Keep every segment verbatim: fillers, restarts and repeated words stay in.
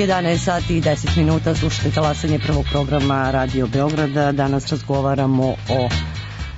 jedanaest sati i deset minuta, slušate talasanje prvog programa Radio Beograda. Danas razgovaramo o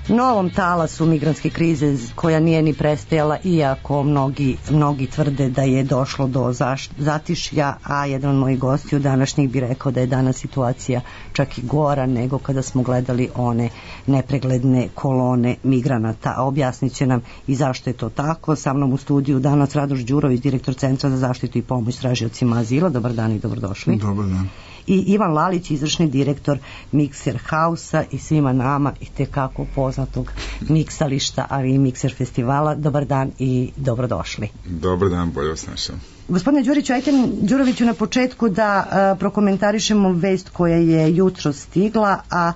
novom talasu migrantske krize koja nije ni prestajala, iako mnogi, mnogi tvrde da je došlo do zaš, zatišja, a jedan od mojih gostiju današnjih bi rekao da je danas situacija čak i gora nego kada smo gledali one nepregledne kolone migranata. A objasnit će nam i zašto je to tako. Sa mnom u studiju danas Radoš Đurović, direktor Centra za zaštitu i pomoć tražiocima azila. Dobar dan i dobrodošli. Dobar dan. I Ivan Lalić, izvršni direktor Mikser Hausa i svima nama i tekako poznatog miksališta, ali i Mikser festivala. Dobar dan i dobrodošli. Dobar dan, bolje vas našao. Gospodine Đuriću, ajte Đuroviću na početku da a, prokomentarišemo vest koja je jutro stigla, a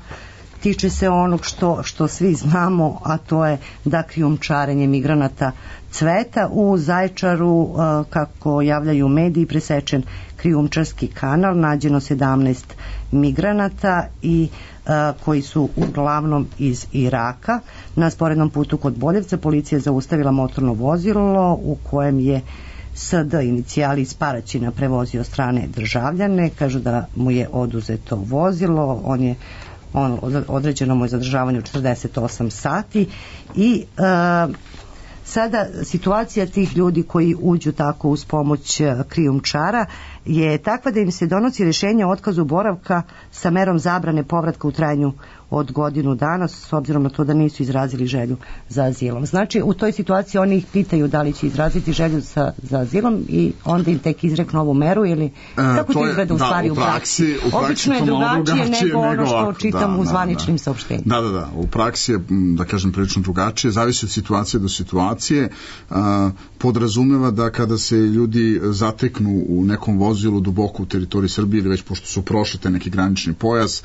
tiče se onog što, što svi znamo, a to je da krijumčarenje migranata cveta. U Zaječaru, a, kako javljaju mediji, presečen krijumčarski kanal, nađeno sedamnaest migranata i a, koji su uglavnom iz Iraka. Na sporednom putu kod Boljevca policija zaustavila motorno vozilo u kojem je S D inicijali iz Paraćina prevozio strane državljane. Kažu da mu je oduzeto vozilo, on je on, određeno mu je zadržavanje u četrdeset osam sati i a, sada situacija tih ljudi koji uđu tako uz pomoć krijumčara je takva da im se donosi rješenje o otkazu boravka sa merom zabrane povratka u trajanju od godinu dana, s obzirom na to da nisu izrazili želju za azilom. Znači, u toj situaciji oni ih pitaju da li će izraziti želju za, za azilom i onda im tek izreknu ovu meru ili kako to izgleda u stvari da, u praksi? U praksi Obično je drugačije, drugačije nego ono što nego čitam da, u zvaničnim da, saopštenjima. Da, da, da. U praksi je, da kažem, prilično drugačije. Zavisi od situacije do situacije. A, podrazumeva da kada se ljudi zateknu u nekom vozilu duboko u teritoriji Srbije ili već pošto su prošli te neki granični pojas,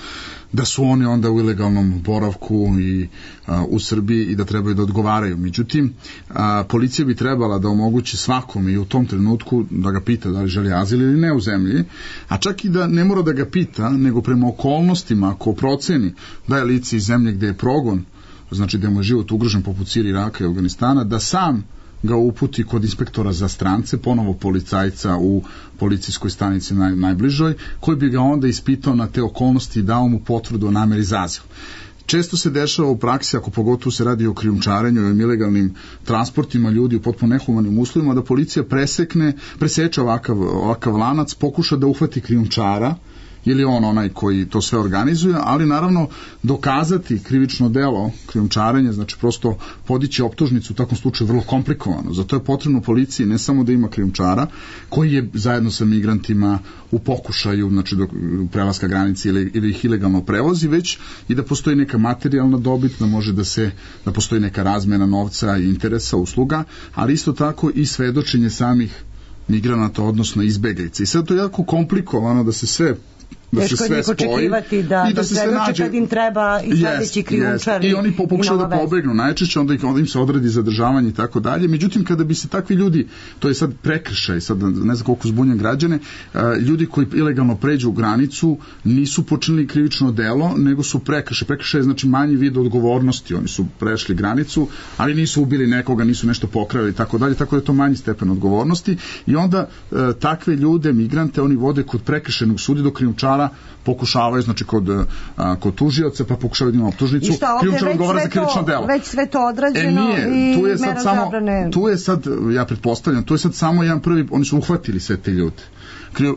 da su oni onda u ilegalnom boravku i a, u Srbiji i da trebaju da odgovaraju. Međutim, a, policija bi trebala da omogući svakome i u tom trenutku da ga pita da li želi azil ili ne u zemlji, a čak i da ne mora da ga pita, nego prema okolnostima, ako proceni da je lice iz zemlje gde je progon, znači da mu je život ugrožen poput Sirije, Iraka i Afganistana, da sam ga uputi kod inspektora za strance, ponovo policajca u policijskoj stanici naj, najbližoj, koji bi ga onda ispitao na te okolnosti i dao mu potvrdu o nameri za azil. Često se dešava u praksi, ako pogotovo se radi o krijumčarenju i ilegalnim transportima ljudi u potpuno nehumanim uslovima, da policija presekne, preseče ovakav, ovakav lanac, pokuša da uhvati krijumčara, ili on onaj koji to sve organizuje, ali naravno dokazati krivično delo krijumčarenja, znači prosto podići optužnicu u takvom slučaju vrlo komplikovano. Zato je potrebno policiji ne samo da ima krijumčara koji je zajedno sa migrantima u pokušaju, znači do prelaska granice ili, ili ih ilegalno prevozi, već i da postoji neka materijalna dobit, da može da se, da postoji neka razmena novca i interesa, usluga, ali isto tako i svedočenje samih migranata, odnosno izbeglica. I sad to je jako komplikovano da se sve da teško se sve spoji očekivati da, i da, da se sve nađe kad im treba i sledeći krijumčar i oni pokušaju da pobegnu najčešće, onda, onda im se odredi zadržavanje i tako dalje. Međutim, kada bi se takvi ljudi, to je sad prekršaj, sad ne znam koliko zbunjam građane, ljudi koji ilegalno pređu u granicu nisu počinili krivično delo, nego su prekršaj. Prekršaj je znači manji vid odgovornosti, oni su prešli granicu, ali nisu ubili nekoga, nisu nešto pokrali i tako dalje, tako da je to manji stepen odgovornosti i onda takve ljude, migrante, oni vode kod prekršajnog suda do krijumčara pokušavaju, znači kod, a, kod tužioca, pa pokušavaju da ima optužnicu, krijumčar odgovara za krivično delo. Već sve to odrađeno e, nije, i tu je sad mera samo, zabrane. Tu je sad, ja pretpostavljam, tu je sad samo jedan prvi, oni su uhvatili sve te ljude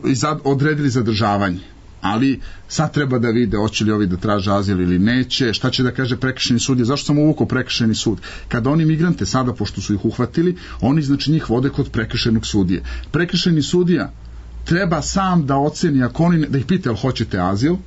i zad, odredili zadržavanje. Ali sad treba da vide hoće li ovi da traže azil ili neće, šta će da kaže prekršajni sud. Zašto sam uvukao prekršajni sud? Kada oni migrante sada, pošto su ih uhvatili, oni znači njih vode kod prekršajnog sudije. Prekršajni sudija treba sam da oceni, ako oni, da ih pita jel hoćete azil, a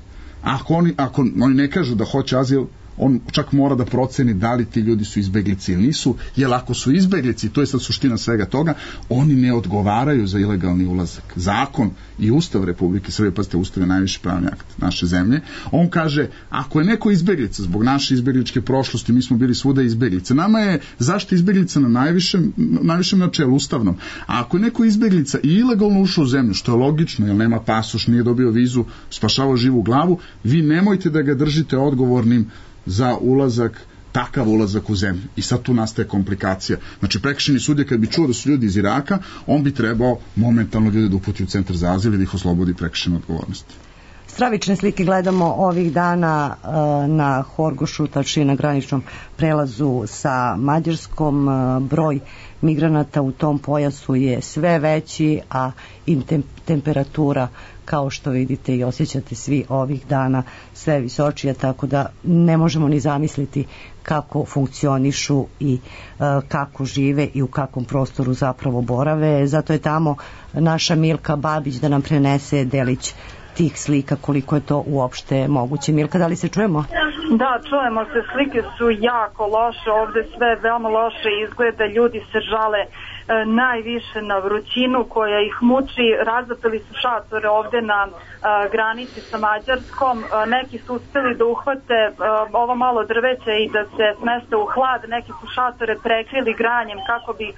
ako oni, ako oni ne kažu da hoće azil, on čak mora da proceni da li ti ljudi su izbeglici ili nisu, jer ako su izbeglici, to je sad suština svega toga, oni ne odgovaraju za ilegalni ulazak. Zakon i Ustav Republike Srbije, pazite, Ustav je najviši pravni akt naše zemlje, on kaže, ako je neko izbeglica zbog naše izbegličke prošlosti, mi smo bili svuda izbeglice, nama je zaštita izbeglica na najvišem, najvišem načelu ustavnom, a ako je neko izbeglica i ilegalno ušao u zemlju, što je logično, jer nema pasoš, nije dobio vizu, spašavao živu glavu, vi nemojte da ga držite odgovornim za ulazak takav ulazak u zemlju. I sad tu nastaje komplikacija. Znači, prekršajni sudija kad bi čuo da su ljudi iz Iraka, on bi trebao momentalno ljude da uputi u centar za azil i da ih oslobodi prekršajne odgovornosti. Stravične slike gledamo ovih dana na Horgošu, tačnije na graničnom prelazu sa Mađarskom. Broj migranata u tom pojasu je sve veći, a i temperatura, kao što vidite i osjećate svi ovih dana, sve visočija, tako da ne možemo ni zamisliti kako funkcionišu i kako žive i u kakvom prostoru zapravo borave. Zato je tamo naša Milka Babić da nam prenese delić tih slika, koliko je to uopšte moguće. Milka, da li se čujemo? Da, čujemo se, slike su jako loše, ovde sve veoma loše izgleda, ljudi se žale e, najviše na vrućinu koja ih muči, razapeli su šatore ovde na e, granici sa Mađarskom, e, neki su uspeli da uhvate e, ovo malo drveće i da se smeste u hlad, neki su šatore prekrili granjem kako bi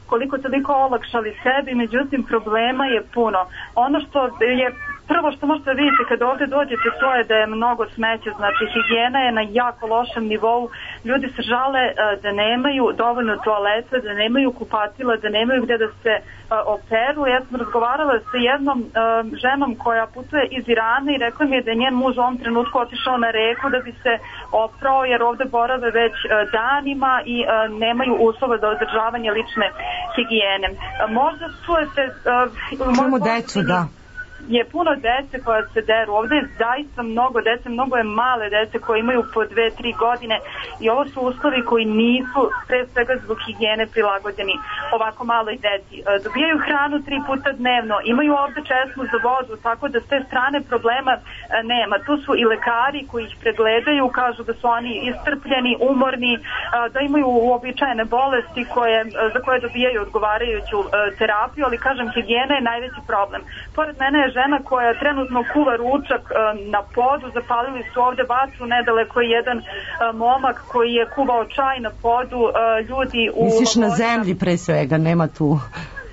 koliko toliko olakšali sebi, međutim problema je puno. Ono što je prvo što možete vidjeti kada ovdje dođete, to je da je mnogo smeća, znači higijena je na jako lošem nivou, ljudi se žale da nemaju dovoljno toaleta, da nemaju kupatila, da nemaju gde da se operu. Ja sam razgovarala sa jednom ženom koja putuje iz Irana i rekla mi je da je njen muž u ovom trenutku otišao na reku da bi se oprao, jer ovde borave već danima i nemaju uslova za održavanje lične higijene. Možda čujete... Čujemo decu, da. Je puno dece koja se deru. Ovde je zaista mnogo dece, mnogo je male dece koje imaju po dve, tri godine i ovo su uslovi koji nisu pre svega zbog higijene prilagođeni ovako maloj deci. Dobijaju hranu tri puta dnevno, imaju ovde česmu za vodu, tako da s te strane problema nema. Tu su i lekari koji ih pregledaju, kažu da su oni iscrpljeni, umorni, da imaju uobičajene bolesti koje, za koje dobijaju odgovarajuću terapiju, ali kažem, higijena je najveći problem. Pored mene je žena koja trenutno kuva ručak na podu, zapalili su ovde vatru, nedaleko je jedan momak koji je kuvao čaj na podu, ljudi u... Misliš na zemlji pre svega, nema tu...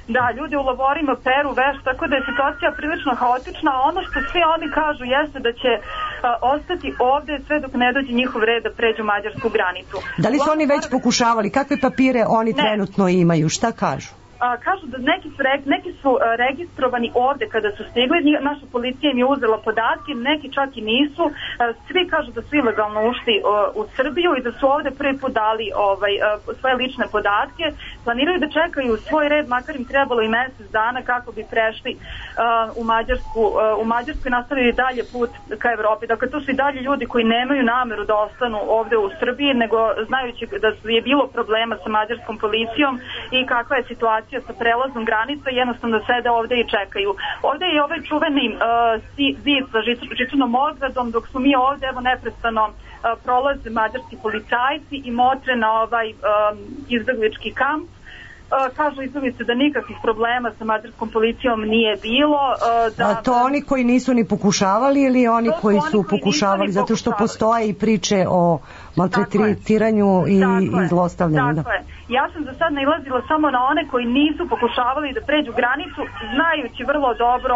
Da, ljudi u lavorima peru veš, tako da je situacija prilično haotična, a ono što svi oni kažu jeste da će a, ostati ovde sve dok ne dođe njihov red da pređu mađarsku granicu. Da li su oni već pokušavali? Kakve papire oni ne. trenutno imaju? Šta kažu? A, kažu da neki su, neki su a, registrovani ovde kada su stigli, naša policija im je uzela podatke, neki čak i nisu, a, svi kažu da su ilegalno ušli a, u Srbiju i da su ovde prvi put dali ovaj, a, svoje lične podatke, planiraju da čekaju svoj red, makar im trebalo i mesec dana kako bi prešli a, u Mađarsku, a, u Mađarsku i nastavili dalje put ka Evropi. Dakle, to su i dalje ljudi koji nemaju nameru da ostanu ovde u Srbiji, nego znajući da je bilo problema sa mađarskom policijom i kakva je situacija sa prelaznom granica, jednostavno sede ovde i čekaju. Ovde je ovaj čuveni uh, zid sa žičanom ogradom, dok su mi ovde, evo, neprestano uh, prolaze mađarski policajci i motre na ovaj um, izbeglički kamp. Uh, kažu izbeglice da nikakvih problema sa mađarskom policijom nije bilo. Uh, da, A to oni koji nisu ni pokušavali ili oni koji su oni koji pokušavali, zato što postoje i priče o maltretiranju i, i zlostavljanju. Tako je. Ja sam za sad nailazila samo na one koji nisu pokušavali da pređu granicu, znajući vrlo dobro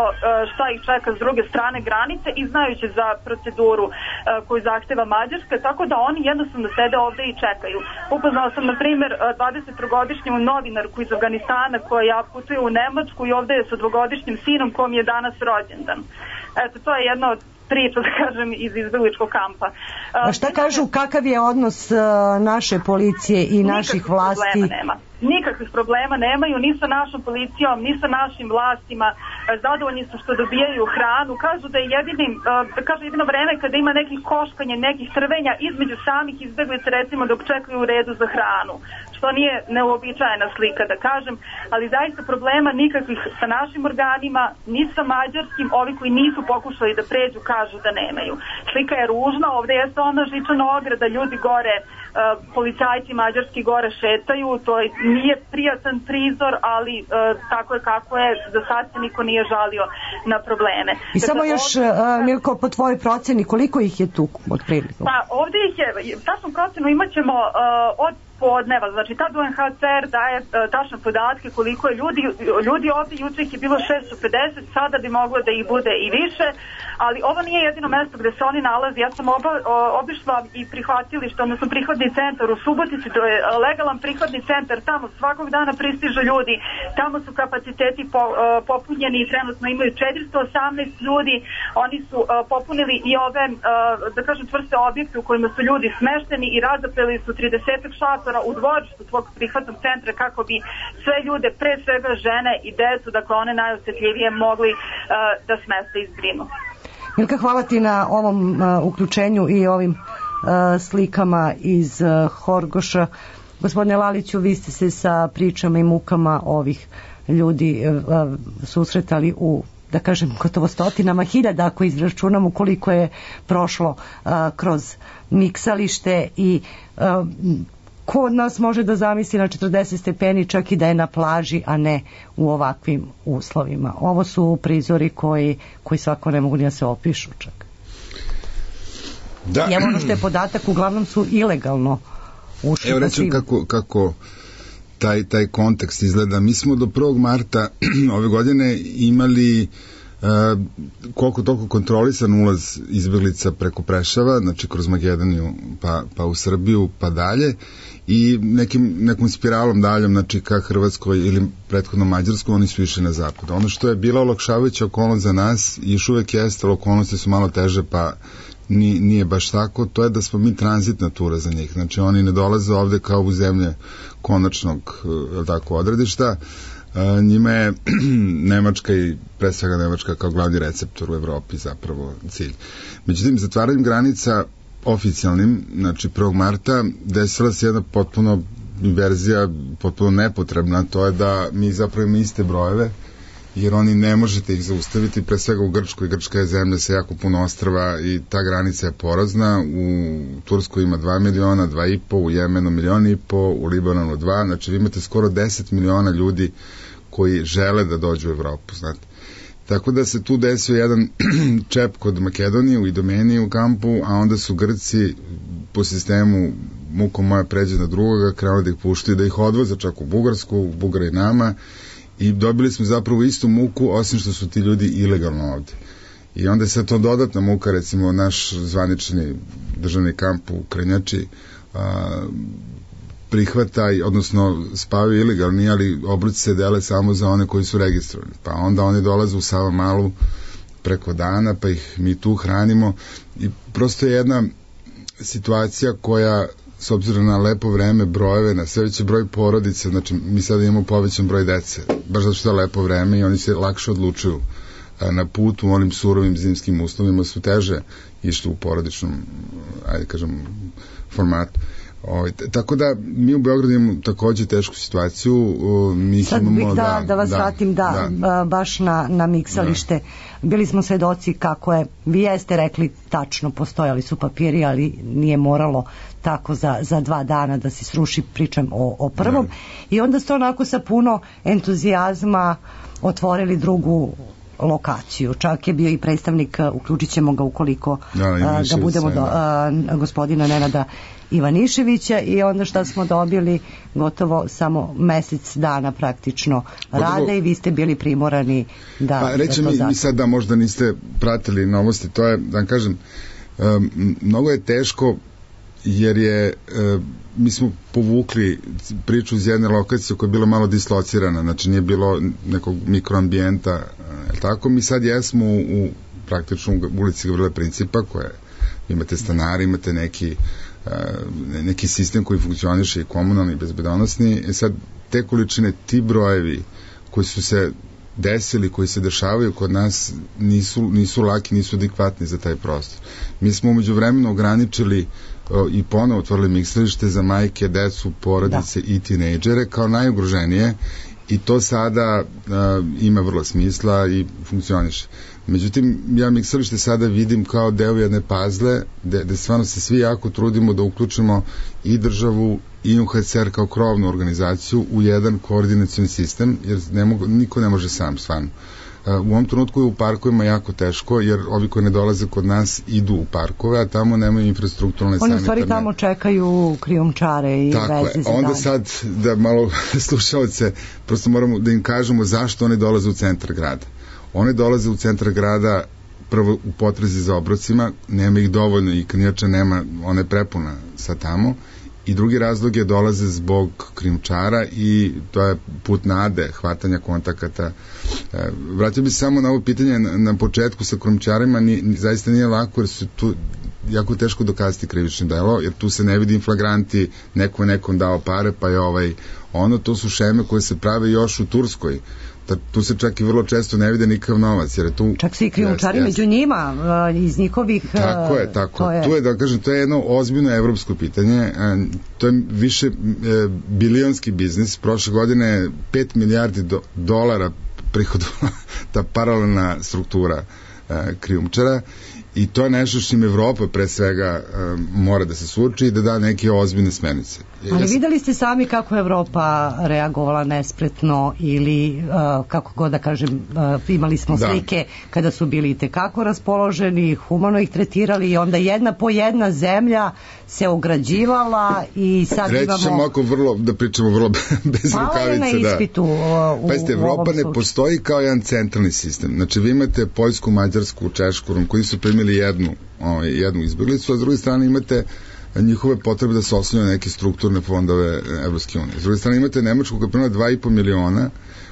šta ih čeka s druge strane granice i znajući za proceduru koju zahteva Mađarska, tako da oni jednostavno sede ovde i čekaju. Upoznala sam, na primjer, dvadesettrogodišnju novinarku iz Afganistana koja putuje u Nemačku i ovde je sa dvogodišnjim sinom kom je danas rođendan. Eto, to je jedna od priča, da kažem, iz izbegličkog kampa. A šta kažu, kakav je odnos naše policije i naših vlasti? Nema. Nikakvih problema nemaju, ni sa našom policijom, ni sa našim vlastima. Zadovoljni su što dobijaju hranu. Kažu da je jedini, kažu jedino vreme kada ima nekih koškanja, nekih trvenja između samih izbeglica, recimo dok čekaju u redu za hranu, što nije neuobičajena slika, da kažem, ali zaista problema nikakvih sa našim organima, ni sa mađarskim. Ovi koji nisu pokušali da pređu kažu da nemaju. Slika je ružna, ovde jeste ona žičana ograda, ljudi gore, policajci mađarski gore šetaju, to nije prijatan prizor, ali uh, tako je kako je, za sad se niko nije žalio na probleme. I samo još, ovdje, Milko, po tvojoj proceni, koliko ih je tu otprilike? Pa ovdje ih je, tačnu procenu imat ćemo uh, od podneva, znači tad U N H C R daje uh, tačne podatke koliko je ljudi, ljudi ovdje, juče ih je bilo šesto pedeset, sada bi moglo da ih bude i više, ali ovo nije jedino mesto gde se oni nalazi. Ja sam oba, o, obišla i prihvatilište, odnosno prihvatni centar u Subotici, to je legalan prihvatni centar, tamo svakog dana pristižu ljudi, tamo su kapaciteti po, o, popunjeni i trenutno imaju četiristo osamnaest ljudi, oni su o, popunili i ove, o, da kažem, čvrste objekte u kojima su ljudi smešteni i razapeli su trideset šatora u dvorištu svog prihvatnog centra kako bi sve ljude, pre svega žene i decu, dakle one najosetljivije, mogli uh, da smeste i zbrinu. Milka, hvala ti na ovom uh, uključenju i ovim uh, slikama iz uh, Horgoša. Gospodine Laliću, vi ste se sa pričama i mukama ovih ljudi uh, susretali u, da kažem, gotovo stotinama hiljada, ako izračunamo koliko je prošlo uh, kroz miksalište i uh, ko od nas može da zamisli na četrdeset stepeni čak i da je na plaži, a ne u ovakvim uslovima. Ovo su prizori koji, koji svako ne mogu ni da se opišu čak. Da. I evo ono što je podatak, uglavnom su ilegalno ušli. Evo recimo kako, kako taj, taj kontekst izgleda. Mi smo do prvog marta ove godine imali Uh, koliko toliko kontrolisan ulaz izbeglica preko Preševa, znači kroz Makedoniju pa, pa u Srbiju pa dalje i nekim, nekom spiralom daljom, znači ka Hrvatskoj ili prethodno Mađarskoj, oni su išli na zapad. Ono što je bila olakšavajuća okolnost za nas i još uvek jeste, okolnosti su malo teže pa ni, nije baš tako, to je da smo mi tranzitna tura za njih, znači oni ne dolaze ovde kao u zemlje konačnog tako odredišta. Uh, njima je Nemačka i pre svega Nemačka kao glavni receptor u Evropi zapravo cilj. Međutim, zatvaranjem granica oficijalnim, znači prvog marta, desila se jedna potpuno inverzija, potpuno nepotrebna, to je da mi zapravo imamo iste brojeve, jer oni ne možete ih zaustaviti, pre svega u Grčkoj. Grčka je zemlja sa jako puno ostrva i ta granica je porazna. U Turskoj ima dva miliona, dva i po, u Jemenu milion i po, u Libanonu dva, znači vi imate skoro deset miliona ljudi koji žele da dođu u Evropu, znate. Tako da se tu desio jedan čep kod Makedonije u Idomeniji u kampu, a onda su Grci po sistemu muko moja pređe na drugoga, krenuli da ih puštaju, da ih odvoze čak u Bugarsku, u Bugara i nama, i dobili smo zapravo istu muku, osim što su ti ljudi ilegalno ovde. I onda je sad to dodatna muka, recimo naš zvanični državni kamp u Krnjači a, prihvata, odnosno spavaju ilegalni, ali obroci se dele samo za one koji su registrovani. Pa onda oni dolaze u Savamalu preko dana, pa ih mi tu hranimo i prosto je jedna situacija koja, s obzirom na lepo vreme, brojeve, na sve veći broj porodice, znači mi sada imamo povećan broj dece, baš zato što je lepo vreme i oni se lakše odlučuju na put u onim surovim zimskim uslovima, su teže išli u porodičnom, ajde kažem, formatu. O, tako da mi u Beogradu imamo takođe tešku situaciju. Mi Sad imamo, bih da, da, da vas da, vratim da, da. baš na, na miksalište. Da. Bili smo svedoci kako je, vi jeste rekli tačno, postojali su papiri, ali nije moralo tako za, za dva dana da se sruši, pričam o, o prvom. Da. I onda ste onako sa puno entuzijazma otvorili drugu lokaciju. Čak je bio i predstavnik, uključit ćemo ga ukoliko da, a, ga budemo do, a, gospodina Nenada Ivaniševića, i onda šta smo dobili, gotovo samo mesec dana praktično gotovo rade i vi ste bili primorani da... Pa reći mi, mi sad da možda niste pratili novosti, to je, da vam kažem, um, mnogo je teško jer je, um, mi smo povukli priču iz jedne lokacije koja je bila malo dislocirana, znači nije bilo nekog mikroambijenta, uh, tako, mi sad jesmo u, u praktično u ulici Gavrila Principa, koja imate stanari, imate neki neki sistem koji funkcioniše i komunalni i bezbedonosni. E sad, te količine, ti brojevi koji su se desili, koji se dešavaju kod nas, nisu, nisu laki, nisu adekvatni za taj prostor. Mi smo umeđu vremenu ograničili o, i ponovo otvorili miksalište za majke, decu, porodice da. i tinejdžere kao najugroženije, i to sada a, ima vrlo smisla i funkcioniše. Međutim, ja miksalište sada vidim kao deo jedne pazle, gde, gde stvarno se svi jako trudimo da uključimo i državu i U N H C R kao krovnu organizaciju u jedan koordinacioni sistem, jer ne mogu, niko ne može sam, stvarno. U ovom trenutku je u parkovima jako teško, jer ovi koji ne dolaze kod nas idu u parkove, a tamo nemaju infrastrukturalne sanitarne. Oni u stvari tamo čekaju krijumčare i tako veze za onda dalje. Sad da malo slušalce, prosto moramo da im kažemo zašto oni dolaze u centar grada. One dolaze u centar grada prvo u potrazi za obrocima, nema ih dovoljno i krnjača nema, ona je prepuna sa tamo, i drugi razlog je dolaze zbog krijumčara i to je put nade, hvatanja kontakata. E, vratio bi se samo na ovo pitanje na, na početku sa krijumčarima, ni, ni, zaista nije lako jer su tu jako teško dokazati krivično delo, jer tu se ne vidi inflagranti, neko je nekom dao pare, pa je ovaj, ono, to su šeme koje se prave još u Turskoj. Da, tu se čak i vrlo često ne vide nikakav novac, jer je tu... Čak se i krijumčari među njima, iz njihovih... Tako je, tako. Je... Tu je, da kažem, to je jedno ozbiljno evropsko pitanje, to je više bilionski biznis, prošle godine pet milijardi do, dolara prihodila ta paralelna struktura krijumčara, i to je nešto što im Evropa pre svega uh, mora da se suoči i da da neke ozbiljne smernice. Ali ja sam... videli ste sami kako je Evropa reagovala nespretno ili uh, kako god da kažem, uh, imali smo da. slike kada su bili itekako raspoloženi, humano ih tretirali i onda jedna po jedna zemlja se ograđivala i sad Reći imamo... Reći ćemo ako vrlo, da pričamo vrlo bez Malo rukavice. Malo je na ispitu da. u, Pazite, Evropa ne postoji kao jedan centralni sistem. Znači vi imate Poljsku, Mađarsku, Češku, koji su primili jednu, ovaj, jednu izbjeglicu, a s druge strane imate njihove potrebe da se osnovaju neke strukturne fondove Evropske unije. S druge strane imate Nemačku koja prima dva i po miliona,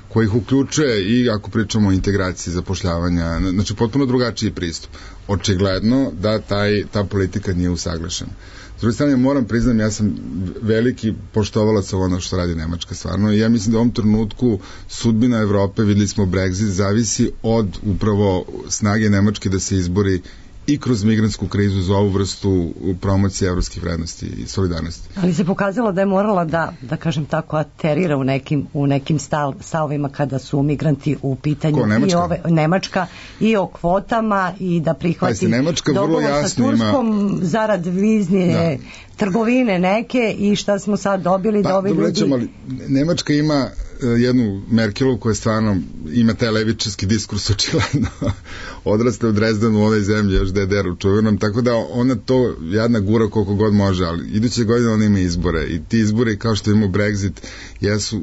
koji ih uključuje i ako pričamo o integraciji zapošljavanja, znači potpuno drugačiji pristup. Očigledno da taj, ta politika nije usaglašena. S druge strane, moram priznam, ja sam veliki poštovalac ono što radi Nemačka stvarno i ja mislim da u ovom trenutku sudbina Evrope, videli smo Brexit, zavisi od upravo snage Nemačke da se izbori i kroz migrantsku krizu za ovu vrstu promocije evropskih vrednosti i solidarnosti. Ali se pokazalo da je morala da, da kažem tako, aterira u nekim, u nekim stav, stavovima kada su migranti u pitanju. Ko, Nemačka? I ove, Nemačka i o kvotama i da prihvati dogovor sa Turskom ima... zarad vizne da. trgovine neke i šta smo sad dobili pa, da ovi ljudi... Ćemo, ali Nemačka ima jednu Merkelu koja stvarno ima taj levičarski diskurs očigledno odraste u Drezdenu u ovoj zemlji još D D R u čuvenom, tako da ona to jadna gura koliko god može, ali iduće godine ona ima izbore i ti izbori kao što imamo Brexit jesu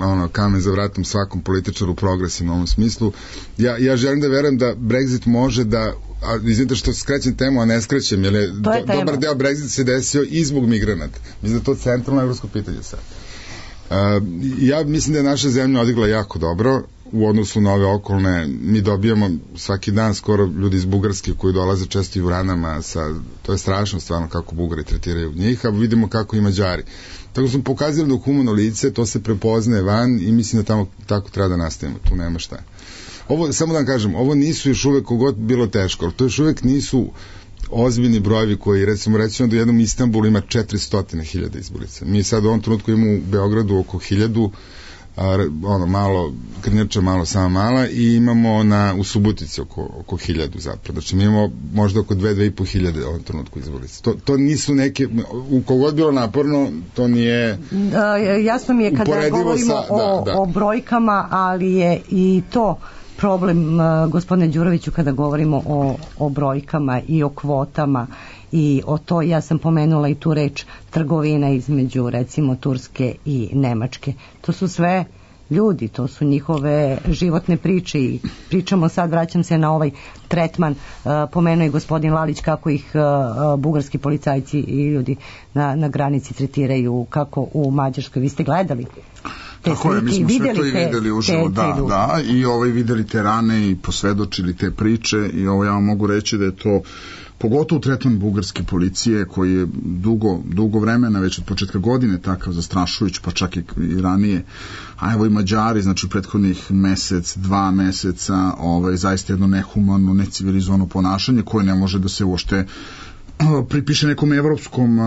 ono, kamen za vratom svakom političaru progresivno u ovom smislu. Ja, ja želim da verujem da Brexit može da a izvinite što skrećem temu, a ne skrećem, jer je, je do, dobar deo Brexit se desio i zbog migranata. Mislim da je to centralno evropsko pitanje sad. Uh, ja mislim da je naša zemlja odigrala jako dobro u odnosu na ove okolne. Mi dobijamo svaki dan skoro ljudi iz Bugarske koji dolaze često i u ranama sa, to je strašno stvarno kako Bugari tretiraju njih, a vidimo kako i Mađari. Tako smo pokazali da u humano lice to se prepoznaje van i mislim da tamo tako treba da nastavimo, tu nema šta. Ovo, samo da vam kažem, ovo nisu još uvek kogod bilo teško, ali to još uvek nisu ozbiljni brojevi koji, recimo, recimo da u jednom Istanbulu ima četiristo hiljada izbjeglica. Mi sad u ovom trenutku imamo u Beogradu oko hiljadu, a, ono, malo, Krnjača malo, sama mala, i imamo na, u Subotici oko, oko hiljadu zapravo. Znači mi imamo možda oko dve, dve i po hiljade u ovom trenutku izbjeglica. To, to nisu neke, u kogod bilo naporno, to nije da, jasno mi je kada govorimo sa, o, da, da. o brojkama, ali je i to problem, uh, gospodine Đuroviću, kada govorimo o, o brojkama i o kvotama i o to, ja sam pomenula i tu reč trgovina između recimo Turske i Nemačke. To su sve ljudi, to su njihove životne priče i pričamo sad, vraćam se na ovaj tretman, uh, pomenuo je gospodin Lalić kako ih uh, bugarski policajci i ljudi na, na granici tretiraju, kako u Mađarskoj. Vi ste gledali? Tako je, mi smo sve to i videli uživo, da, da, i ovaj videli te rane i posvedočili te priče i ovo ja vam mogu reći da je to pogotovo tretman bugarske policije koji je dugo, dugo vremena, već od početka godine takav zastrašujući, pa čak i, i ranije, a evo i Mađari, znači u prethodnih mesec, dva meseca, ovaj, zaista jedno nehumano, necivilizovano ponašanje koje ne može da se uopšte pripiše nekom evropskom,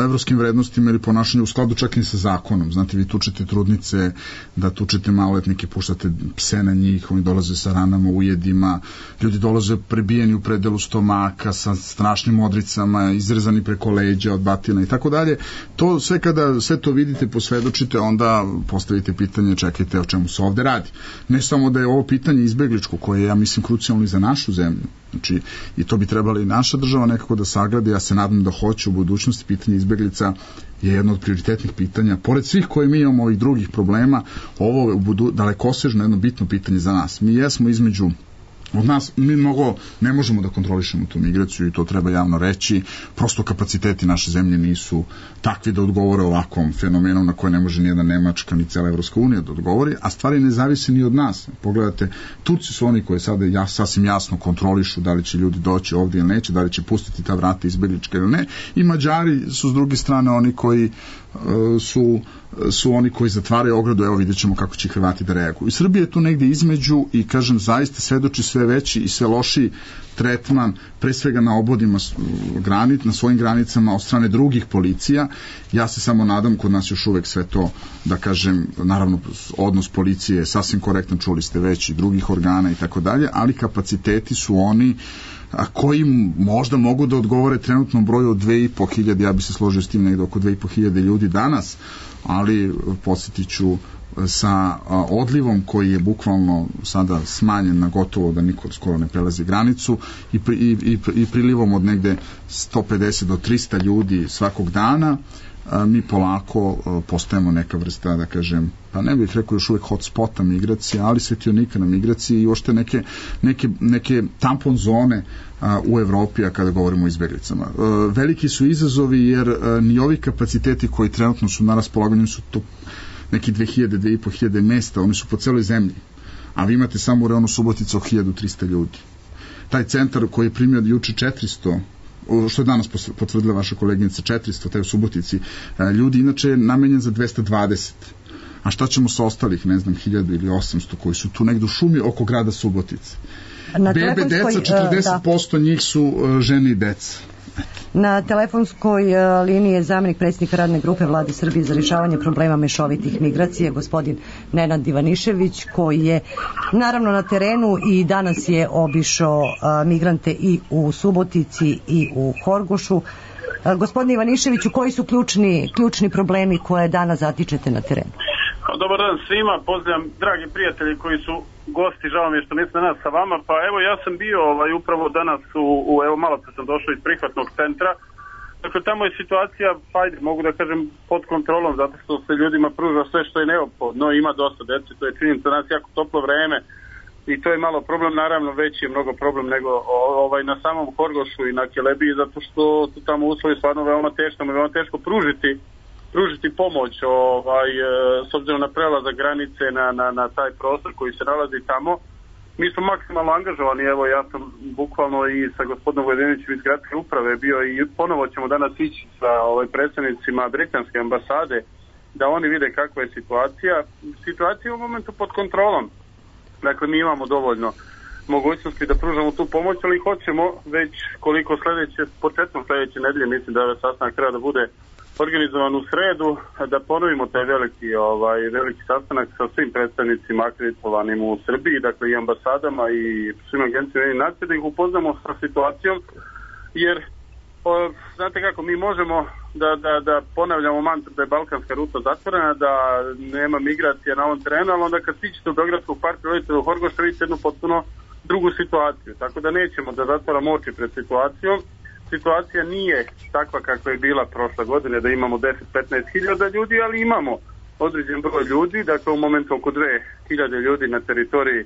evropskim vrednostima ili ponašanju u skladu čak i sa zakonom. Znate, vi tučete trudnice, da tučete maloletnike, puštate pse na njih, oni dolaze sa ranama, ujedima, ljudi dolaze prebijeni u predelu stomaka sa strašnim odricama, izrezani preko leđa od batina i tako dalje. To sve kada sve to vidite, posvedočite, onda postavite pitanje, čekajte o čemu se ovde radi. Ne samo da je ovo pitanje izbegličko, koje je, ja mislim, krucijalno i za našu zemlju. Znači, i to bi trebala i naša država nekako da sagleda, ja se nadam da hoće u budućnosti. Pitanje izbeglica je jedno od prioritetnih pitanja. Pored svih koje mi imamo ovih drugih problema, ovo je u budu, dalekosežno jedno bitno pitanje za nas. Mi jesmo između Od nas, mi mnogo ne možemo da kontrolišemo tu migraciju i to treba javno reći, prosto kapaciteti naše zemlje nisu takvi da odgovore ovakvom fenomenom na koje ne može nijedna Nemačka ni cela Evropska unija da odgovori, a stvari ne zavise ni od nas. Pogledajte, Turci su oni koji sada ja, sasvim jasno kontrolišu da li će ljudi doći ovdje ili neće, da li će pustiti ta vrata izbeglička ili ne, i Mađari su s druge strane oni koji su, su oni koji zatvaraju ogradu, evo vidjet ćemo kako će Hrvati da reaguju. I Srbija je tu negdje između i kažem zaista svedoči sve veći i sve lošiji tretman, pre svega na obodima granit, na svojim granicama od strane drugih policija. Ja se samo nadam, kod nas još uvek sve to, da kažem, naravno odnos policije je sasvim korektan, čuli ste već i drugih organa i tako dalje, ali kapaciteti su oni a koji možda mogu da odgovore trenutnom broju od dve i po hiljade, ja bi se složio s tim negde oko dve i po hiljade ljudi danas, ali podsjetit ću sa odlivom koji je bukvalno sada smanjen na gotovo da niko skoro ne prelazi granicu i, pri, i, i, i prilivom od negde sto pedeset do trista ljudi svakog dana, mi polako postajemo neka vrsta, da kažem, pa ne bih rekao još uvek hotspota migracije, ali svetionika na migraciji i ošte neke, neke, neke tampon zone a, u Evropi, a kada govorimo o izbeglicama. A, veliki su izazovi jer a, ni ovi kapaciteti koji trenutno su na raspolaganju su to neki dve hiljade, dve i po hiljade mesta, oni su po celoj zemlji, a vi imate samo u reonu Subotica od hiljadu trista ljudi. Taj centar koji je primio juče četiristo, što je danas potvrdila vaša koleginica, četiristo, taj u Subotici, ljudi inače je namenjen za dvesta dvadeset. A šta ćemo sa ostalih, ne znam, hiljadu ili osamsto koji su tu negdje u šumi oko grada Subotice? Na Bebe, deca, četrdeset posto njih su žene i deca. Na telefonskoj liniji je zamjenik predsjednika radne grupe Vlade Srbije za rješavanje problema mešovitih migracija, gospodin Nenad Ivanišević, koji je naravno na terenu i danas je obišao migrante i u Subotici i u Horgošu. Gospodine Ivaniševiću, koji su ključni, ključni problemi koje danas zatičete na terenu? Dobar dan svima, pozdravljam dragi prijatelji koji su gosti, žao mi je što nisam danas sa vama, pa evo ja sam bio ovaj, upravo danas u, u evo malo pre sam došao iz prihvatnog centra, dakle tamo je situacija, ajde, mogu da kažem pod kontrolom, zato što se ljudima pruža sve što je neophodno, ima dosta dece, to je činjenica, danas jako toplo vreme i to je malo problem, naravno veći je mnogo problem nego ovaj, na samom Horgošu i na Kelebiji, zato što su tamo uslovi stvarno veoma teško, veoma teško pružiti pružiti pomoć ovaj, s obzirom na prelazak granice na, na, na taj prostor koji se nalazi tamo. Mi smo maksimalno angažovani, evo ja sam bukvalno i sa gospodinom Vojdinovićem iz gradske uprave bio i ponovo ćemo danas ići sa ovaj, predstavnicima britanske ambasade da oni vide kakva je situacija. Situacija je u momentu pod kontrolom. Dakle, mi imamo dovoljno mogućnosti da pružamo tu pomoć, ali hoćemo već koliko sljedeće, početkom sljedeće nedelje, mislim da ovaj sastanak treba da bude organizovan u sredu, da ponovimo taj veliki, ovaj, veliki sastanak sa svim predstavnicima akreditovanim u Srbiji, dakle i ambasadama i svim agencijama i nacije, da ih upoznamo sa situacijom, jer o, znate kako, mi možemo da, da, da ponavljamo mantru da je balkanska ruta zatvorena, da nema migracija na ovom terenu, ali onda kad stičete u Beogradskog parka rodite u Horgošu, vidite jednu potpuno drugu situaciju, tako da nećemo da zatvaramo oči pred situacijom. Situacija nije takva kakva je bila prošle godine, da imamo deset do petnaest hiljada ljudi, ali imamo određen broj ljudi, dakle u momentu oko dve hiljade ljudi na teritoriji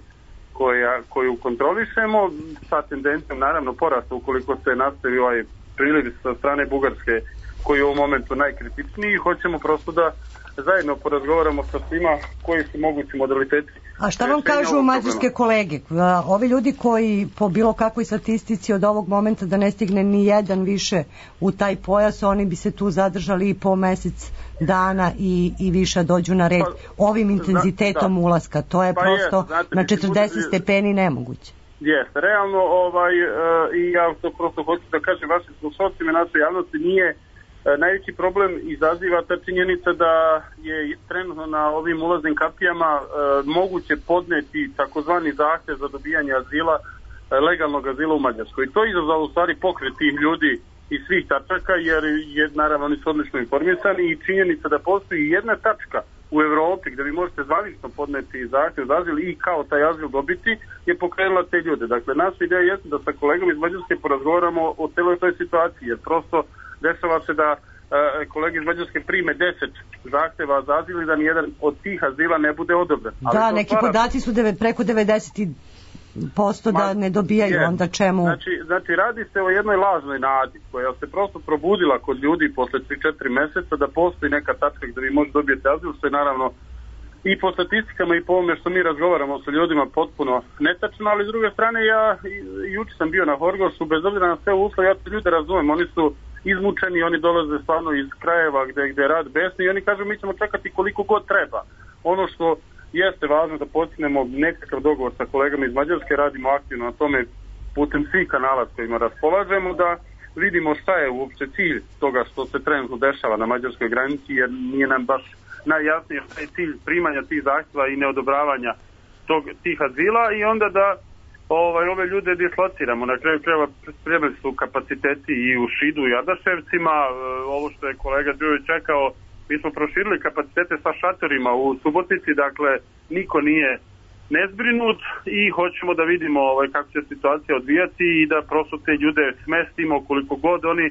koja, koju kontrolišemo, sa tendencijom naravno porasta ukoliko se nastavi ovaj priliv sa strane Bugarske koji je u ovom momentu najkritičniji. Hoćemo prosto da zajedno porazgovaramo sa svima koji su mogući modaliteti. A šta vam kažu mađarske kolege? Ovi ljudi koji po bilo kakvoj statistici od ovog momenta da ne stigne ni jedan više u taj pojas, oni bi se tu zadržali i po mesec dana i, i više dođu na red ovim intenzitetom da, da. ulaska. To je pa prosto je, znate, na četrdeset stepeni nemoguće. Jeste, realno ovaj, uh, i ja to prosto hoću da kažem vašim slušalcima i našoj javnosti, nije najveći problem izaziva ta činjenica da je trenutno na ovim ulaznim kapijama e, moguće podneti takozvani zahtev za dobijanje azila, e, legalnog azila u Mađarskoj. I to je izazvalo u stvari pokret tih ljudi iz svih tačaka, jer je, naravno oni su odlično informisani i činjenica da postoji jedna tačka u Evropi gdje vi možete zvanično podneti zahtev za azil i kao taj azil dobiti, je pokrenula te ljude. Dakle, naša ideja jeste da sa kolegom iz Mađarske porazgovaramo o celoj toj situaciji, jer prosto dešava se da e, kolege iz Mađarske prime deset zahteva za azil i da nijedan od tih azila ne bude odobren. Da, neki stvara... podaci su deve, preko devedeset posto da ne dobijaju, je. Onda čemu? Znači, znači, radi se o jednoj lažnoj nadi koja se prosto probudila kod ljudi posle tri četiri meseca da postoji neka tačka gde vi možete dobijete azil, što je naravno i po statistikama i po ovome što mi razgovaramo sa ljudima potpuno netačno, ali s druge strane ja juče sam bio na Horgošu, bez obzira na sve uslove, ja te ljude razumem, oni su izmučeni, oni dolaze stvarno iz krajeva gde, gde je rad besni i oni kažu mi ćemo čekati koliko god treba. Ono što jeste važno da postignemo nekakav dogovor sa kolegama iz Mađarske, radimo aktivno na tome putem svih kanala s kojima raspolažemo, da vidimo šta je uopće cilj toga što se trenutno dešava na mađarskoj granici, jer nije nam baš najjasnije šta je cilj primanja tih zahtjeva i neodobravanja tog, tih azila i onda da ovaj, ove ljude dislociramo. Na kraju krajeva spremili su kapaciteti i u Šidu i Adaševcima, ovo što je kolega Đurović čekao, mi smo proširili kapacitete sa šatorima u Subotici, dakle niko nije nezbrinut i hoćemo da vidimo ovaj, kako će situacija odvijati i da prosto te ljude smestimo koliko god oni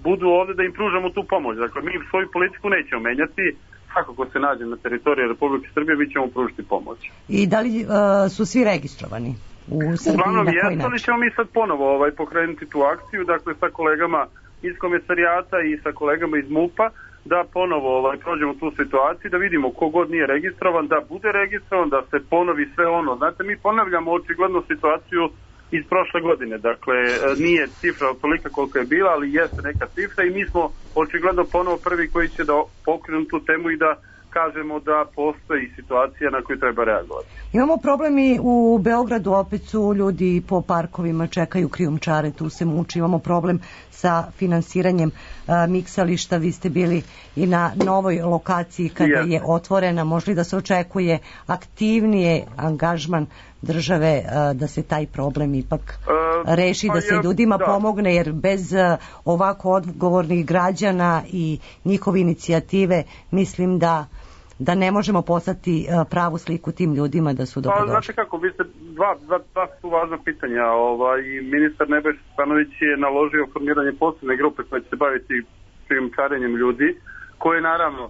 budu ovde da im pružamo tu pomoć. Dakle, mi svoju politiku nećemo menjati, kako se nađe na teritoriji Republike Srbije, mi ćemo pružiti pomoć. I da li uh, su svi registrovani u Srbiji? Uglavnom jesu, ali ćemo mi sad ponovo ovaj, pokrenuti tu akciju, dakle sa kolegama iz komisarijata i sa kolegama iz MUP-a, da ponovo ovaj, prođemo tu situaciju, da vidimo kogod nije registrovan, da bude registrovan, da se ponovi sve ono. Znate, mi ponavljamo očigledno situaciju iz prošle godine, dakle nije cifra tolika koliko je bila, ali jeste neka cifra i mi smo očigledno ponovo prvi koji će da pokrenu tu temu i da kažemo da postoji situacija na koju treba reagovati. Imamo problem i u Beogradu, opet su ljudi po parkovima, čekaju krijumčare, tu se muči. Imamo problem sa finansiranjem a, miksališta, vi ste bili i na novoj lokaciji kada yeah. je otvorena, možda da se očekuje aktivnije angažman države a, da se taj problem ipak uh, reši, pa da se je, ljudima da. pomogne, jer bez a, ovako odgovornih građana i njihove inicijative mislim da da ne možemo poslati uh, pravu sliku tim ljudima da su dobrodošli. Pa, znate kako, vi ste dva, dva, dva su važna pitanja. Ovaj, ministar Nebojša Stefanović je naložio formiranje posebne grupe koja će se baviti krijumčarenjem ljudi, koje naravno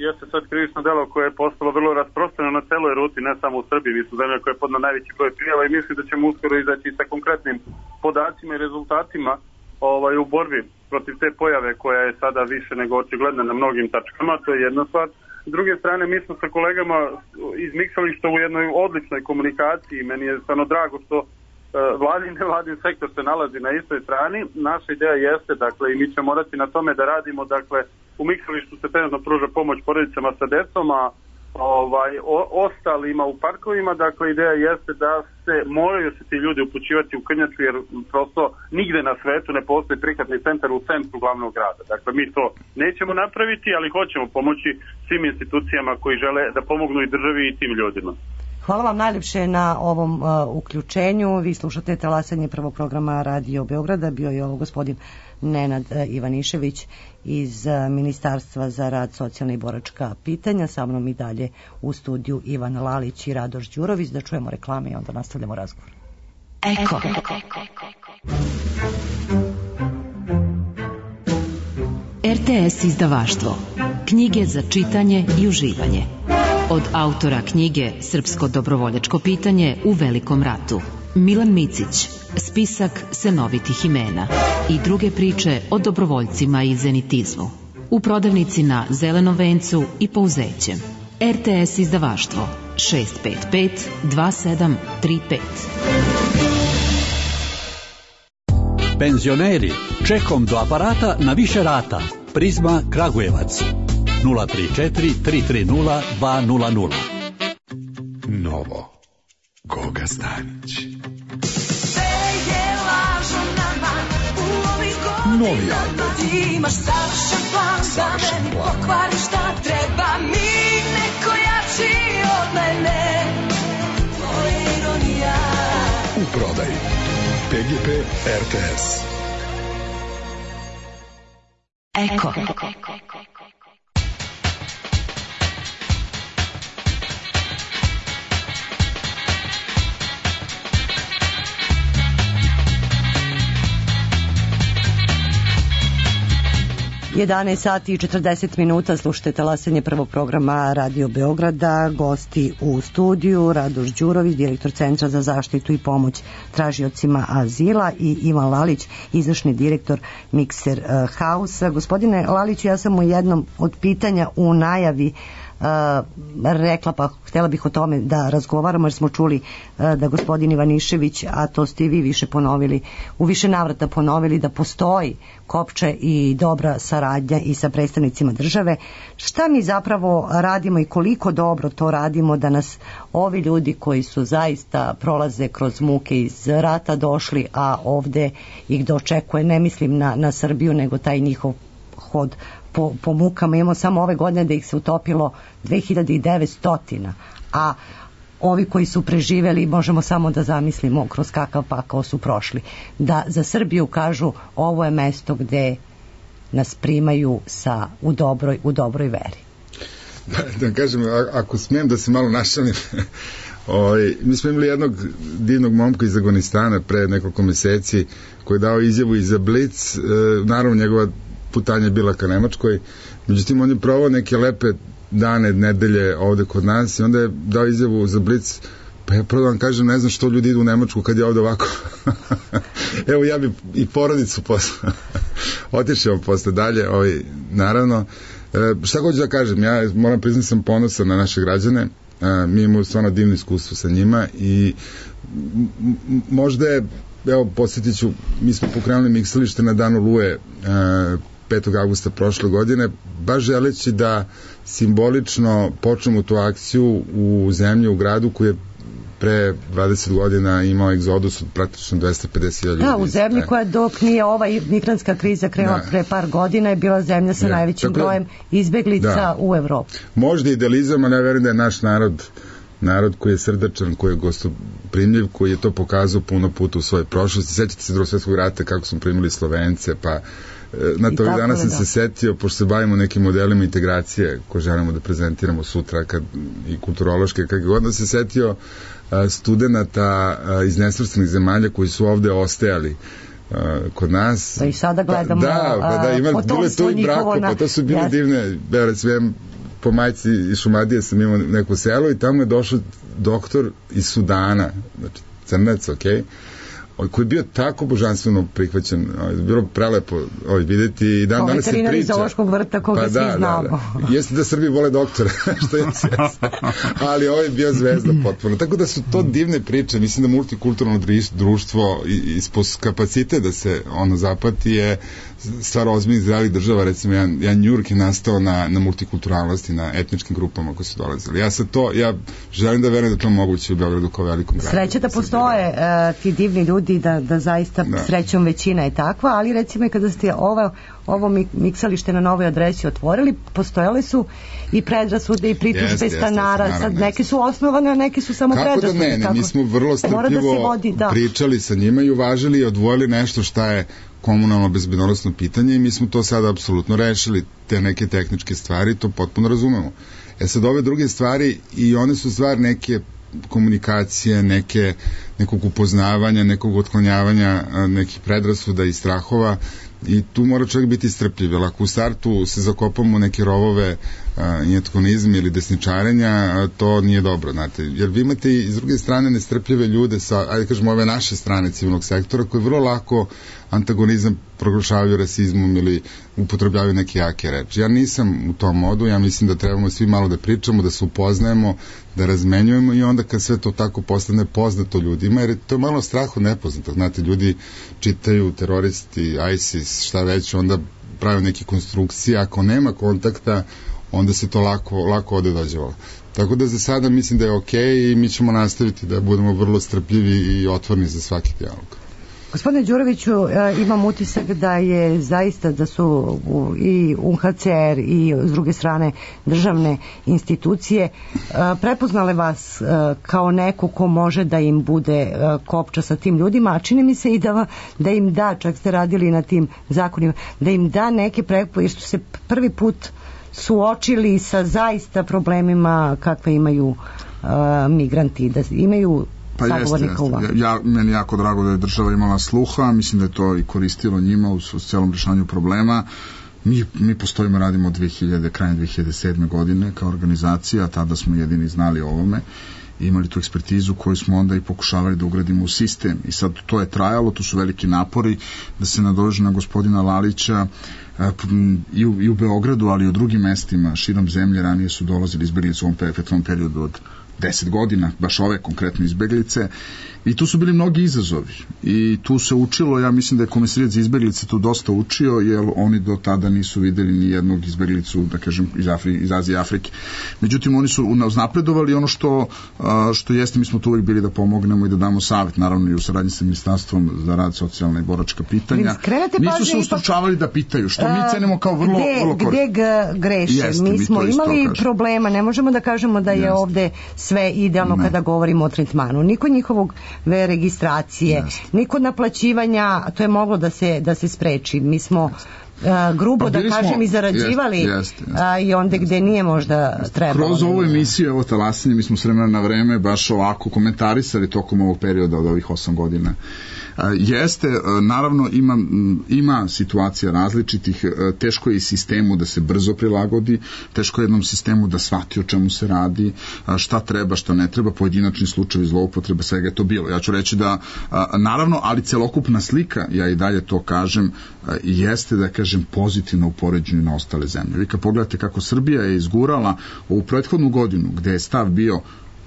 jeste sad krivično delo koje je postalo vrlo rasprostranjeno na celoj ruti, ne samo u Srbiji, mi smo zemlja koja je podna najveći broj prijava i mislim da ćemo uskoro izaći sa konkretnim podacima i rezultatima ovaj, u borbi protiv te pojave koja je sada više nego očigledna na mnogim tačkama, to je jedna stvar. S druge strane, mi smo sa kolegama iz miksališta u jednoj odličnoj komunikaciji. Meni je stvarno drago što uh, vladin i nevladin sektor se nalazi na istoj strani. Naša ideja jeste, dakle, i mi ćemo morati na tome da radimo, dakle, u miksalištu se trenutno pruža pomoć porodicama sa decom, a ovaj, o, ostalima u parkovima, dakle, ideja jeste da se moraju se ti ljudi upućivati u Krnjaču, jer prosto nigde na svetu ne postoji prihvatni centar u centru glavnog grada. Dakle, mi to nećemo napraviti, ali hoćemo pomoći svim institucijama koji žele da pomognu i državi i tim ljudima. Hvala vam najljepše na ovom uh, uključenju. Vi slušate talasanje prvog programa Radio Beograda. Bio je ovo gospodin Nenad uh, Ivanišević iz uh, Ministarstva za rad, socijalna i boračka pitanja. Sa mnom i dalje u studiju Ivan Lalić i Radoš Đurović. Da čujemo reklame i onda nastavljamo razgovor. Eko. R T S izdavaštvo. Knjige za čitanje i uživanje. Od autora knjige Srpsko dobrovoljačko pitanje u Velikom ratu, Milan Micić, spisak senovitih imena i druge priče o dobrovoljcima i zenitizmu. U prodavnici na Zelenom vencu i Pouzećem. R T S izdavaštvo šest pet pet dva sedam tri pet. Penzioneri, čekom do aparata na više rata. Prizma Kragujevac. nula tri četiri tri tri nula dva nula nula. Novo. Goga Stanić. Novi album. Imaš savršen plan da meni pokvariš šta treba mi neko jači od mene. To je ironija. U prodaji P G P R T S. Eko. jedanaest sati i četrdeset minuta, slušajte talasanje prvog programa Radio Beograda. Gosti u studiju Radoš Đurović, direktor Centra za zaštitu i pomoć tražiocima azila, i Ivan Lalić, izvršni direktor Mikser Hausa. Gospodine Laliću, ja sam u jednom od pitanja u najavi Uh, rekla, pa htjela bih o tome da razgovaramo, jer smo čuli uh, da gospodin Ivanišević, a to ste i vi više ponovili, u više navrata ponovili da postoji kopče i dobra saradnja i sa predstavnicima države. Šta mi zapravo radimo i koliko dobro to radimo da nas ovi ljudi koji su zaista prolaze kroz muke iz rata došli, a ovde ih dočekuje, ne mislim na, na Srbiju, nego taj njihov hod po, po mukama. Imamo samo ove godine da ih se utopilo dve hiljade devetsto, a ovi koji su preživeli možemo samo da zamislimo kroz kakav pakao su prošli. Da za Srbiju kažu ovo je mesto gde nas primaju sa, u, dobroj, u dobroj veri. Da kažem, ako smijem da se malo našalim, Oj, mi smo imali jednog divnog momka iz Afganistana pre nekoliko meseci koji je dao izjavu i za Blic, e, naravno njegova putanja je bila ka Nemačkoj, međutim on je provao neke lepe dane, nedelje ovde kod nas i onda je dao izjavu za Blic, pa ja prvo vam kažem, ne znam što ljudi idu u Nemačku kad je ovde ovako. Evo ja bi i porodicu posle otišao posle dalje, ovaj, naravno. E, šta hoću da kažem, ja moram priznati sam ponosan na naše građane, e, mi imamo stvarno divno iskustvo sa njima i možda je, evo posjetit ću, mi smo pokrenuli miksalište na dan Oluje e, petog avgusta prošle godine, baš želeći da simbolično počnemo tu akciju u zemlji, u gradu koji je pre dvadeset godina imao egzodus od praktično dvesta pedeset hiljada ljudi. Da, u zemlji koja dok nije ova migrantska kriza krenula da. pre par godina je bila zemlja sa ja. najvećim Tako, brojem izbeglica da. u Evropi. Možda idealizam, ali ja verujem da je naš narod narod koji je srdačan, koji je gostoprimljiv, koji je to pokazao puno puta u svojoj prošlosti. Sećate se Drugog svjetskog rata kako smo primili Slovence, pa na to danas sam da. se setio, pošto se bavimo nekim modelima integracije koje želimo da prezentiramo sutra kad, i kulturološke, kako god da se setio a, studenta a, iz nesvrstanih zemalja koji su ovde ostajali a, kod nas. Da i sada gledamo pa, da, pa da, ima, bilo je to i brako, na... pa to su bile yes. divne, ja recimo po majci iz Šumadije sam imao neko selo i tamo je došao doktor iz Sudana, znači crnac, okej, okay, koji je bio tako božanstveno prihvaćen, bilo prelepo ovaj, videti i dan danas se priča. Veterinar iz Zoološkog vrta koga pa, svi da, znamo. Da, da. Jeste da Srbi vole doktora, što je svjesno. Ali ovaj je bio zvezda potpuno. Tako da su to divne priče. Mislim da multikulturno društvo ispod kapacite da se ono zapati je stvar ozbiljnih zdravih država. Recimo, jedan, jedan Njurk je nastao na, na multikulturalnosti, na etničkim grupama koji su dolazili. Ja sad to, ja želim da verujem da to moguće u Beogradu kao velikom gradu. Sreće da postoje uh, ti divni ljudi, da, da zaista da. srećom većina je takva, ali recimo kada ste ovo, ovo miksalište na novoj adresi otvorili, postojale su i predrasude i pritužbe yes, stanara, yes, sad neke su osnovane, a neke su samo kako predrasude. Da ne, ne, mi smo vrlo strpljivo da vodi, da. pričali sa njima i uvažili i odvojili nešto šta je komunalno bezbednosno pitanje i mi smo to sada apsolutno rešili, te neke tehničke stvari, to potpuno razumemo. E sad ove druge stvari i one su stvar neke komunikacije, neke, nekog upoznavanja, nekog otklonjavanja nekih predrasuda i strahova i tu mora čovjek biti strpljiv, jer ako u startu se zakopamo u neke rovove injetkonizma ili desničarenja, to nije dobro, znate, jer vi imate i s druge strane nestrpljive ljude sa, ajde kažemo, ove naše strane civilnog sektora koji vrlo lako antagonizam proglašavaju rasizmom ili upotrebljavaju neke jake reči. Ja nisam u tom modu, ja mislim da trebamo svi malo da pričamo, da se upoznajemo, da razmenjujemo i onda kad sve to tako postane poznato ljudima, jer to je malo strah od nepoznatog, znate, ljudi čitaju teroristi, ISIS, šta već, onda prave neke konstrukcije, ako nema kontakta, onda se to lako, lako ode dođevalo. Tako da za sada mislim da je okej okay i mi ćemo nastaviti da budemo vrlo strpljivi i otvorni za svaki dijalog. Gospodine Đuroviću, imam utisak da je zaista da su i U N H C R i s druge strane državne institucije prepoznale vas kao neko ko može da im bude kopča sa tim ljudima, a čini mi se i da, da im da, čak ste radili na tim zakonima, da im da neke prepoznale, jer su se prvi put suočili sa zaista problemima kakve imaju uh, migranti, da imaju pa jeste, jeste. Ja, meni jako drago da je država imala sluha, mislim da je to i koristilo njima u, u celom rešavanju problema. Mi, mi postojimo, radimo od dve hiljade, krajem dve hiljade sedme godine kao organizacija, tada smo jedini znali o ovome, imali tu ekspertizu koju smo onda i pokušavali da ugradimo u sistem i sad to je trajalo, to su veliki napori da se nadoveže na gospodina Lalića i u, i u Beogradu, ali i u drugim mestima širom zemlje. Ranije su dolazili izbeglice u ovom prethodnom periodu od deset godina, baš ove konkretno izbeglice, i tu su bili mnogi izazovi i tu se učilo, ja mislim da je Komesarijat za izbeglice tu dosta učio, jer oni do tada nisu videli ni jednog izbeglicu, da kažem, iz, Afri, iz Azije i Afrike. Međutim, oni su uznapredovali, ono što, što jeste, mi smo tu uvijek bili da pomognemo i da damo savjet, naravno i u saradnji sa Ministarstvom za rad, socijalna i boračka pitanja. Nisu se ustručavali da pitaju, što mi cenimo kao vrlo, gde, vrlo korisno. Gde greše? Jeste, mi smo mi imali problema, ne možemo da kažemo da je jeste. Ovde sve idealno ne. Kada govorimo o tretmanu. Niko njihovog ve registracije, yes. niko naplaćivanja, to je moglo da se, da se spreči. Mi smo yes. uh, grubo pa da kažem smo, i zarađivali yes, yes, yes. Uh, i onda gde nije možda trebalo. Kroz ovu emisiju, ovo talasanje, mi smo s vremena na vreme baš ovako komentarisali tokom ovog perioda od ovih osam godina. Jeste, naravno ima, ima situacija različitih, teško je i sistemu da se brzo prilagodi, teško je jednom sistemu da shvati o čemu se radi, šta treba, šta ne treba, pojedinačni slučajevi zloupotrebe, svega je to bilo. Ja ću reći da, naravno, ali celokupna slika, ja i dalje to kažem, jeste, da kažem, pozitivno u poređenju na ostale zemlje. Vi kad pogledate kako Srbija je izgurala ovu prethodnu godinu, gde je stav bio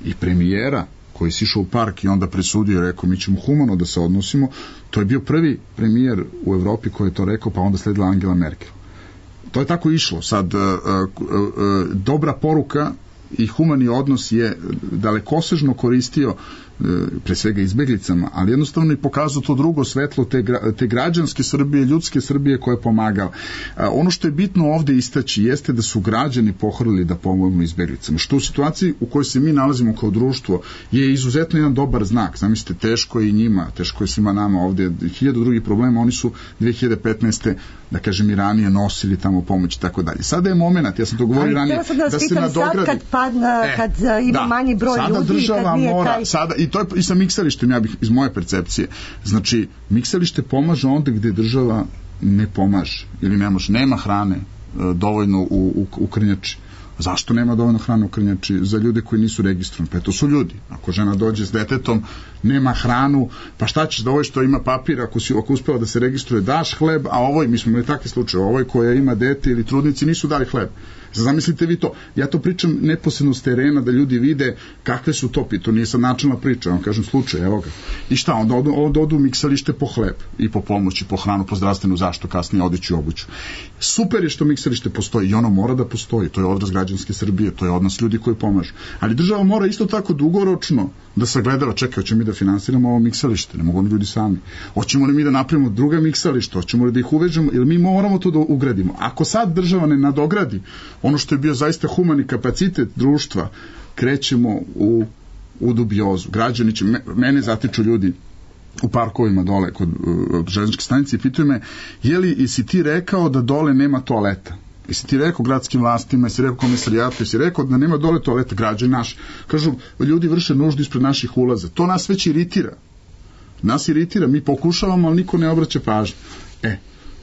i premijera, koji si išao u park i onda presudio i rekao mi ćemo humano da se odnosimo, to je bio prvi premijer u Evropi koji je to rekao, pa onda sledila Angela Merkel. To je tako išlo. Sad, uh, uh, uh, dobra poruka i humani odnos je dalekosežno koristio pre svega izbeglicama, ali jednostavno i pokazao to drugo svetlo te, te građanske Srbije, ljudske Srbije koja je pomagala. Ono što je bitno ovde istaći jeste da su građani pohrlili da pomognu izbeglicama, što u situaciji u kojoj se mi nalazimo kao društvo je izuzetno jedan dobar znak. Zamislite, teško je i njima, teško je svima nama ovde, hiljadu drugih problema, oni su dve hiljade petnaeste da kažem i ranije nosili tamo pomoć i tako dalje. Sada je moment, ja sam to govorio ranije, da, da se nadogradi. Sad kad, padna, kad e, ima da, manji broj sada ljudi, država kad nije mora, taj... sada, i to je i sa miksalištem, ja bih iz moje percepcije. Znači, miksalište pomaže onda gde država ne pomaže ili ne može, nema hrane e, dovoljno u, u, u krnjači. Zašto nema dovoljno hrane u krnjači? Za ljude koji nisu registrovani. Pa to su ljudi. Ako žena dođe s detetom, nema hranu, pa šta ćeš da ovoj što ima papir, ako si ako uspela da se registruje, daš hleb, a ovoj, mi smo imali takve slučaje, ovoj koja ima dete ili trudnici nisu dali hleb. Zamislite vi to. Ja to pričam neposredno s terena da ljudi vide kakve su to, to nije sad načelna priča, vam kažem slučaj, evo ga. I šta, onda odu, onda odu u miksalište po hleb i po pomoći, po hranu, po zdravstvenu zaštitu, kasnije odeću i obuću. Super je što miksalište postoji i ono mora da postoji, to je odraz građanske Srbije, to je odnos ljudi koji pomažu. Ali država mora isto tako dugoročno da sagledava, čekaj, hoćemo mi da finansiramo ovo miksalište, ne mogu oni ljudi sami. Hoćemo li mi da napravimo druga miksališta, hoćemo li da ih uvežemo, ili mi moramo to da ugradimo. Ako sad država ne nadogradi ono što je bio zaista humani kapacitet društva, krećemo u, u dubiozu. Građani će, mene zatiču ljudi u parkovima dole kod uh, železničke stanice i pitaju me, je li i si ti rekao da dole nema toaleta? Jesi ti rekao gradskim vlastima, jesi rekao komisarijatu, jesi rekao da nema dole toaleta, građani naši. Kažu, ljudi vrše nuždu ispred naših ulaza. To nas već iritira. Nas iritira, mi pokušavamo, ali niko ne obraća pažnju. E,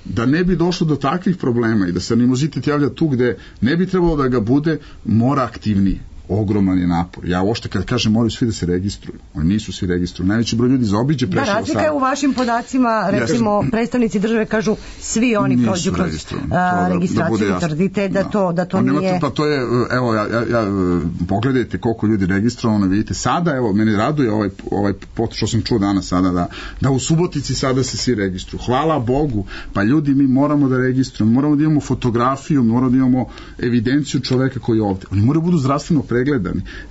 da ne bi došlo do takvih problema i da se animozitet javlja tu gde ne bi trebalo da ga bude, mora aktivnije. Ogroman je napor. Ja uopšte kad kažem moraju svi da se registruju. Oni nisu svi registruju. Najveći broj ljudi zaobiđe prešao sad. Da, razlika je u vašim podacima, recimo ja, predstavnici države kažu svi oni prođu kroz a, registraciju. Da tvrdite da, da to, da to nije... Nemate, pa to je, evo, ja, ja, ja, pogledajte koliko ljudi registrovano, vidite sada, evo, meni raduje ovaj, ovaj pot što sam čuo danas sada, da, da u Subotici sada se svi registruju. Hvala Bogu, pa ljudi mi moramo da registrujemo, moramo da imamo fotografiju, moramo da imamo evidenciju čoveka koji je ovde. Oni moraju budu zdravstveno pregledani.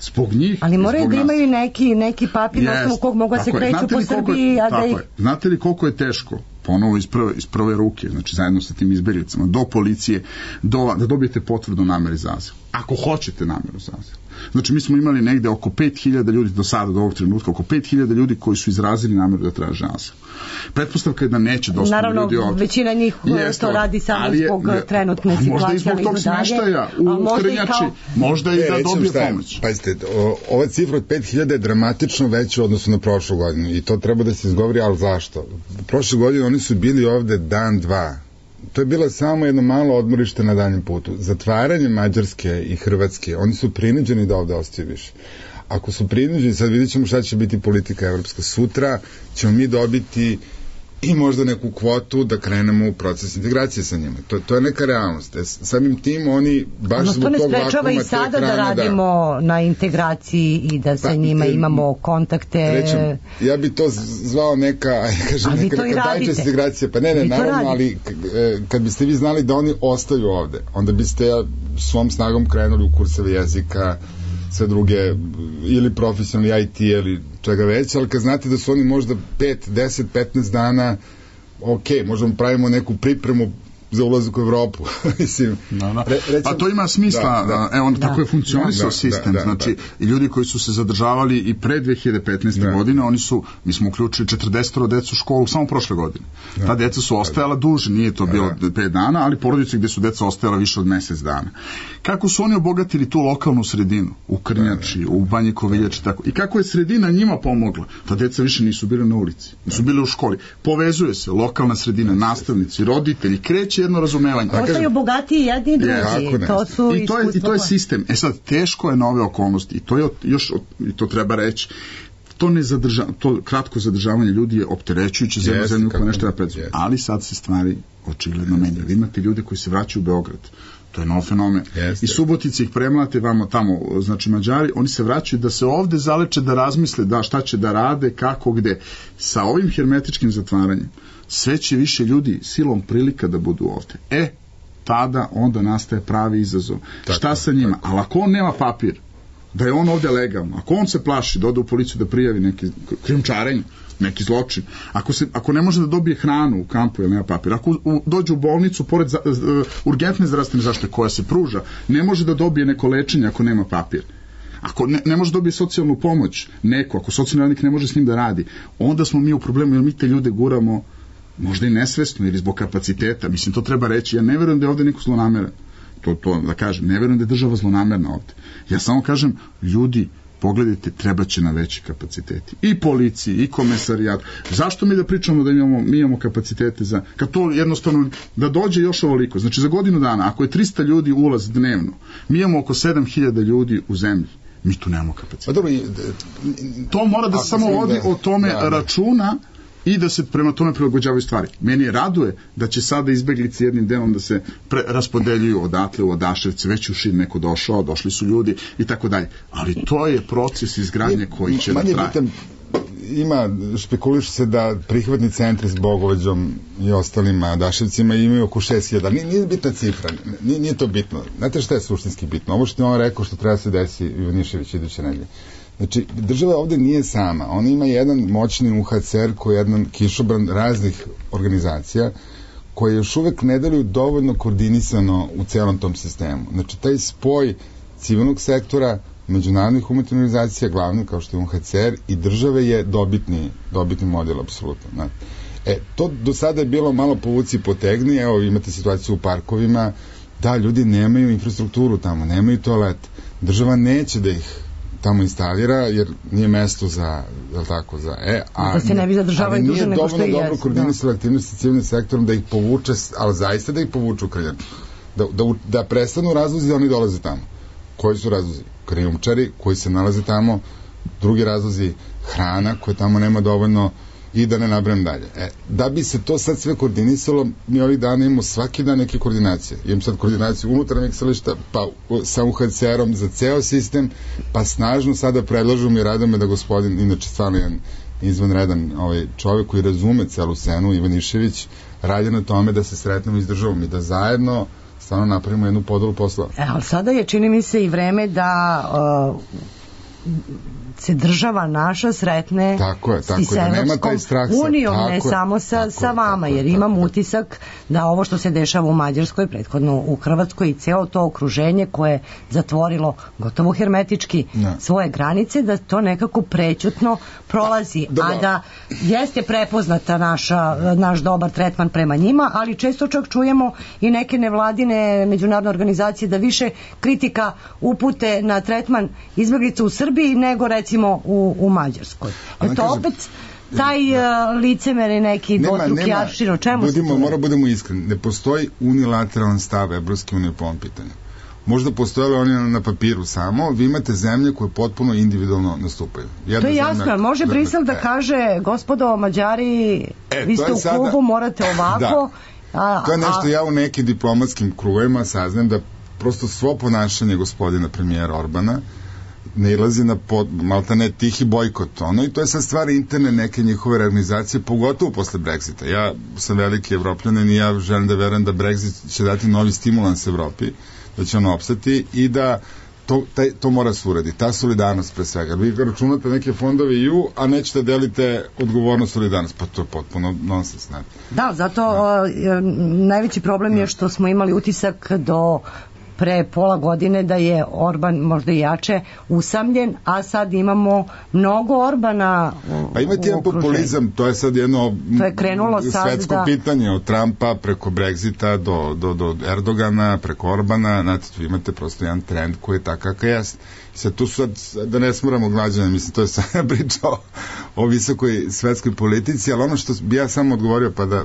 Zbog njih... Ali moraju da imaju neki, neki papir na osnovu kog mogu se kreću po Srbiji, a da ih... Znate li koliko je teško ponovo iz prve, iz prve ruke, znači zajedno sa tim izbeglicama, do policije, do, da dobijete potvrdu namere za azil. Ako hoćete nameru za azil. Znači, mi smo imali negde oko pet hiljada ljudi do sada, do ovog trenutka, oko pet hiljada ljudi koji su izrazili nameru da traže azil. Pretpostavka je da neće dosta ljudi ovdje. Naravno, većina njih Jeste, to radi samo je, zbog trenutne situacije. Možda i zbog tog smeštaja u Krnjači, kao... možda i da dobije pomoć. Pazite, ova cifra od pet hiljada je dramatično veća u odnosu na prošlu godinu i to treba da se izgovori, ali zašto? Prošle godine oni su bili ovde dan, dva, to je bilo samo jedno malo odmorište na daljem putu. Zatvaranje Mađarske i Hrvatske, oni su prinuđeni da ovde ostaju više. Ako su prinuđeni, sad vidjet ćemo šta će biti politika evropska. Sutra ćemo mi dobiti i možda neku kvotu da krenemo u proces integracije sa njima. To, to je neka realnost. E, samim tim oni baš ono, zbog tog vakuma te hrane... To ne sprečava i sada da radimo da... na integraciji i da sa pa, njima e, imamo kontakte... Rećem, ja bi to zvao neka, ja kažem, neka, neka dajčast integracija. Pa ne, ne, naravno, ali kad biste vi znali da oni ostaju ovde, onda biste svom snagom krenuli u kurseve jezika, sve druge, ili profesionalni I T ili čega već, ali kad znate da su oni možda pet, deset, petnaest dana, ok, možemo pravimo neku pripremu za ulazak u Evropu. Mislim, da, da. Re, recimo, a to ima smisla, da, da. evo, tako je funkcionisao da, sistem, da, da, znači, da. I ljudi koji su se zadržavali i pre dve hiljade petnaeste. Da. godine, oni su, mi smo uključili četrdeset decu u školu samo prošle godine. Da. Ta deca su ostajala duže, nije to bilo da. pet dana, ali porodice gde su deca ostajala više od mesec dana. Kako su oni obogatili tu lokalnu sredinu, u Krnjači, da. u Banji Koviljači, tako, i kako je sredina njima pomogla, ta deca više nisu bile na ulici, nisu bile u školi. Povezuje se lokalna sredina, nastavnici, roditelji, kreće jedno razumevanje. Ostaju bogatiji jedni i drugi. Yes. To su I, to je, I to je sistem. E sad, teško je na ove okolnosti. I to je još, i to treba reći, to, ne zadrža, to kratko zadržavanje ljudi je opterećujuće za yes, zemlju koja nešto da predstavlja. Yes. Ali sad se stvari očigledno menjaju. Vi imate ljude koji se vraćaju u Beograd. To je nov fenomen. Yes, I Subotici ih premlate vamo tamo, znači Mađari, oni se vraćaju da se ovde zaleče, da razmisle da šta će da rade, kako, gde. Sa ovim hermetičkim zatvaranjem sve će više ljudi silom prilika da budu ovde. E, tada onda nastaje pravi izazov. Tako, šta sa njima? Tako. Ali ako on nema papir, da je on ovde legalno, ako on se plaši da ode u policiju da prijavi neki krijumčarenje, neki zločin, ako, se, ako ne može da dobije hranu u kampu jer nema papir, ako u, dođe u bolnicu pored za, uh, urgentne zdravstvene zaštite koja se pruža, ne može da dobije neko lečenje ako nema papir. Ako ne, ne može dobiti socijalnu pomoć neko, ako socijalni radnik ne može s njim da radi, onda smo mi u problemu jer mi te ljude guramo možda i nesvesno ili zbog kapaciteta. Mislim, to treba reći. Ja ne verujem da je ovde neko zlonameran. To, to da kažem. Ne verujem da je država zlonamerna ovde. Ja samo kažem, ljudi, pogledajte, treba će na veći kapaciteti. I policiji, i komesarijat. Zašto mi da pričamo da imamo, mi imamo kapacitete za... Kad to jednostavno, da dođe još ovoliko. Znači, za godinu dana, ako je trista ljudi ulaz dnevno, mi imamo oko sedam hiljada ljudi u zemlji. Mi tu nemamo kapaciteta. Dobro, i, to mora da se samo vodi o tome da, računa i da se prema tome prilagođavaju stvari. Meni je raduje da će sada izbeglice jednim delom da se pre, raspodeljuju odatle u Odaševce, već u Šid neko došao, došli su ljudi i tako dalje. Ali to je proces izgradnje koji će da traje. Bitan, ima, špekuliš se da prihvatni centri s Bogovađom i ostalima Odaševcima imaju oko šest hiljada. Nije, nije bitna cifra, nije, nije to bitno. Znate šta je suštinski bitno? Ovo što je on rekao što treba se desi Ivanišević iduće nedelje. Znači, država ovde nije sama. Ona ima jedan moćni U H C R koji je jedan kišobran raznih organizacija koje još uvek ne deluju dovoljno koordinisano u celom tom sistemu. Znači, taj spoj civilnog sektora, međunarodnih humanitarnih organizacija, glavno kao što je U H C R, i države je dobitni, dobitni model, apsolutno. Znači. E, to do sada je bilo malo povuci i potegni, evo imate situaciju u parkovima, da, ljudi nemaju infrastrukturu tamo, nemaju toalet. Država neće da ih tamo instalira, jer nije mesto za, jel tako, za E, a da se ne bi zadržavali duže nego što je. Ali nije dovoljno dobro koordinisala aktivnosti civilnim sektorom da ih povuče, ali zaista da ih povuče u Krnjaču. Da, da, da prestanu razlozi da oni dolaze tamo. Koji su razlozi? Krijumčari koji se nalaze tamo, drugi razlozi hrana koja tamo nema dovoljno i da ne nabrem dalje. E, da bi se to sad sve koordinisalo, mi ovih dana imamo svaki dan neke koordinacije. Imam sad koordinaciju unutarnjeg selišta, pa sa U H C R-om za ceo sistem, pa snažno sada predlažu mi radome da gospodin, inače stvarno jedan izvanredan ovaj čovjek koji razume celu scenu, Ivanišević, radi na tome da se sretnemo i s državom i da zajedno stvarno napravimo jednu podelu posla. E, ali sada je, čini mi se, i vreme da uh, se država naša sretne tako je, tako i sa Evropskom unijom, ne tako samo sa, tako sa vama, tako jer tako imam tako utisak da ovo što se dešava u Mađarskoj, prethodno u Hrvatskoj i ceo to okruženje koje je zatvorilo gotovo hermetički ne. svoje granice, da to nekako prećutno prolazi, da, a da jeste prepoznata naša, naš dobar tretman prema njima, ali često čak čujemo i neke nevladine međunarodne organizacije da više kritika upute na tretman izbeglica u Srbiji nego recimo u, u Mađarskoj. Jer to kažem, opet taj uh, licemer i neki dvostruki aršin, o čemu budimo, se to? Mora budemo iskreni, ne postoji unilateralan stav Evropske unije po ovom pitanju. Možda postojali oni na papiru samo, vi imate zemlje koje potpuno individualno nastupaju. Jedna to je jasno, zemlja, može Brisel da e, kaže, gospodo Mađari, e, vi ste u sada, klubu, morate ovako. Da. A, to je nešto a, ja u nekim diplomatskim krugovima saznam da prosto svo ponašanje gospodina premijera Orbana ne ilazi na pod, malta ne tihi bojkot, ono, i to je sad stvar interne neke njihove organizacije, pogotovo posle Brexita. Ja sam veliki evropljanin i ja želim da verujem da Brexit će dati novi stimulans Evropi, da će ono opstati i da to, taj, to mora se uraditi, ta solidarnost pre svega. Vi računate neke fondove i u, a nećete delite odgovornost solidarnost, pa to je potpuno nonsens. Ne? Da, zato da. O, najveći problem da. je što smo imali utisak do pre pola godine da je Orban možda i jače usamljen, a sad imamo mnogo Orbana u, pa imate jedan populizam, to je sad jedno to je krenulo svetsko sad da... pitanje od Trumpa preko Brexita do, do, do Erdogana, preko Orbana, znate, tu imate prosto jedan trend koji je takav kakav jest. Sad tu sad, da ne smoramo građane, mislim, to je sad priča o, o visokoj svetskoj politici, ali ono što bi ja samo odgovorio, pa da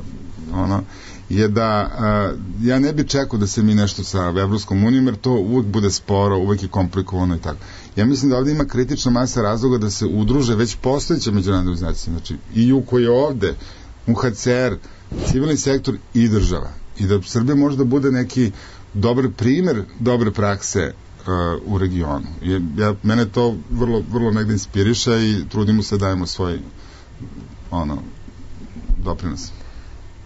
ono, je da uh, ja ne bi čekao da se mi nešto sa Evropskom unijom, jer to uvek bude sporo, uvek je komplikovano i tako. Ja mislim da ovde ima kritična masa razloga da se udruže već postojeće međunarodne organizacije, znači I U koji je ovde, U H C R, civilni sektor i država. I da Srbija može da bude neki dobar primer dobre prakse uh, u regionu. I, ja, mene to vrlo, vrlo negde inspiriša i trudimo se da dajemo svoj ono, doprinos.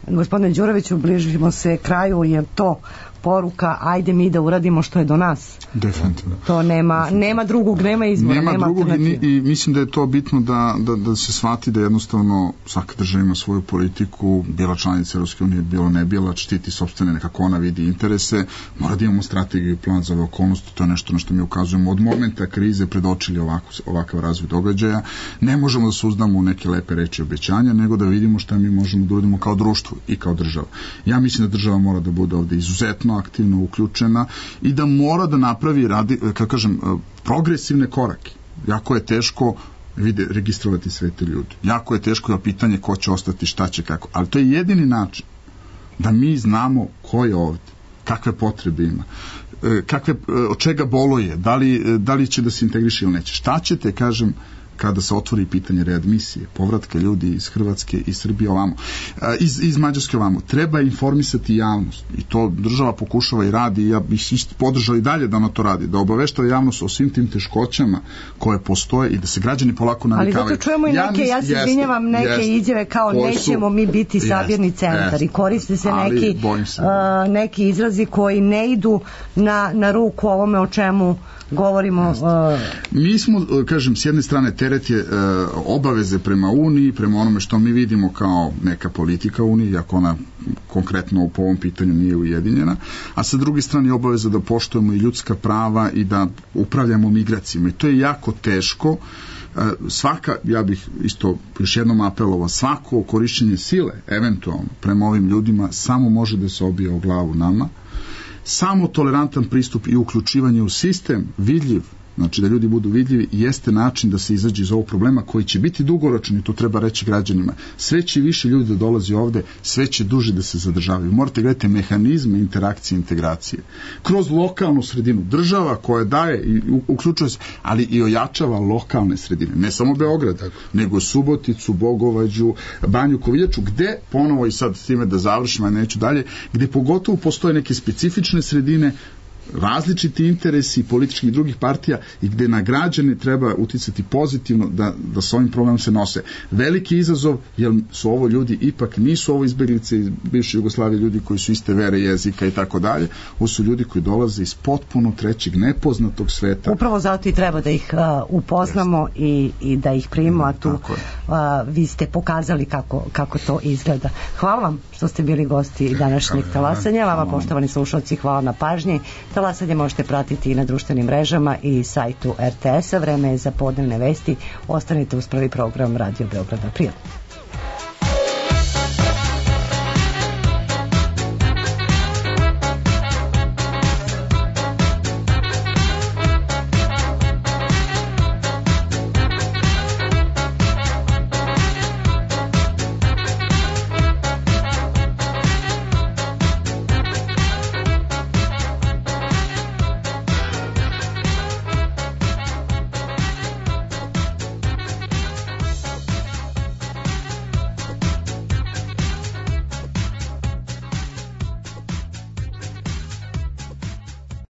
Gospodine Đuroviću, bližimo se kraju, je to poruka, ajde mi da uradimo što je do nas? Definitivno. To nema, nema drugog, nema izbora, nema, nema drugog alternative. I, i mislim da je to bitno da, da, da se shvati da jednostavno svaka država ima svoju politiku, bila članica Evropske unije, bilo ne bila, štiti sopstvene nekako ona vidi interese, mora da imamo strategiju i plan za ove okolnosti, to je nešto na što mi ukazujemo od momenta krize predočili ovako, ovakav razvoj događaja. Ne možemo da se uzdamo u neke lepe reči obećanja, nego da vidimo šta mi možemo da uradimo kao društvo i kao država. Ja mislim da država mora da bude ovde izuzetno aktivno uključena i da mora da napravi, radi, kako kažem, progresivne korake. Jako je teško vide, registrovati sve te ljudi. Jako je teško je pitanje ko će ostati, šta će, kako. Ali to je jedini način da mi znamo ko je ovde, kakve potrebe ima, kakve, od čega boluje, da li, da li će da se integriše ili neće. Šta ćete, kažem, kada se otvori pitanje readmisije, povratka ljudi iz Hrvatske i Srbije ovamo, iz, iz Mađarske ovamo. Treba informisati javnost i to država pokušava i radi i ja bih isto podržao i dalje da ona to radi, da obaveštava javnost o svim tim teškoćama koje postoje i da se građani polako navikavaju. Ali zato čujemo i neke, ja se izvinjavam, neke jeste, izjave kao nećemo mi biti sabirni centar jeste, i koriste se neki, se. Uh, neki izrazi koji ne idu na, na ruku ovome o čemu govorimo. Uh... Mi smo, kažem, s jedne strane teret je uh, obaveze prema Uniji, prema onome što mi vidimo kao neka politika Unije, iako ona konkretno po ovom pitanju nije ujedinjena, a sa druge strane je obaveza da poštujemo i ljudska prava i da upravljamo migracijama. I to je jako teško. Uh, svaka, ja bih isto još jednom apelovao, svako korišćenje sile, eventualno, prema ovim ljudima, samo može da se obije o glavu nama. Samo tolerantan pristup i uključivanje u sistem, vidljiv, znači da ljudi budu vidljivi, jeste način da se izađe iz ovog problema koji će biti dugoročni, to treba reći građanima. Sve će više ljudi da dolazi ovde, sve će duže da se zadržavaju. Morate gledati mehanizme interakcije i integracije. Kroz lokalnu sredinu. Država koja daje i uključuje se, ali i ojačava lokalne sredine. Ne samo Beograd, nego Suboticu, Bogovađu, Banju Koviljaču, gde, ponovo i sad s time da završim, a neću dalje, gde pogotovo postoje neke specifične sredine, različiti interesi političkih i drugih partija i gde na građane treba uticati pozitivno da, da s ovim problemom se nose. Veliki izazov, jer su ovo ljudi, ipak nisu ovo izbeglice iz bivše Jugoslavije, ljudi koji su iste vere, jezika i tako dalje, ovo su ljudi koji dolaze iz potpuno trećeg, nepoznatog sveta. Upravo zato i treba da ih uh, upoznamo i, i da ih primimo, a tu uh, vi ste pokazali kako, kako to izgleda. Hvala vam što ste bili gosti današnjeg talasanja, vama poštovani slušalci, hvala na pažnji. Talasanje možete pratiti i na društvenim mrežama i sajtu er te esa. Vreme je za podnevne vesti. Ostanite uz prvi program Radio Beograd April.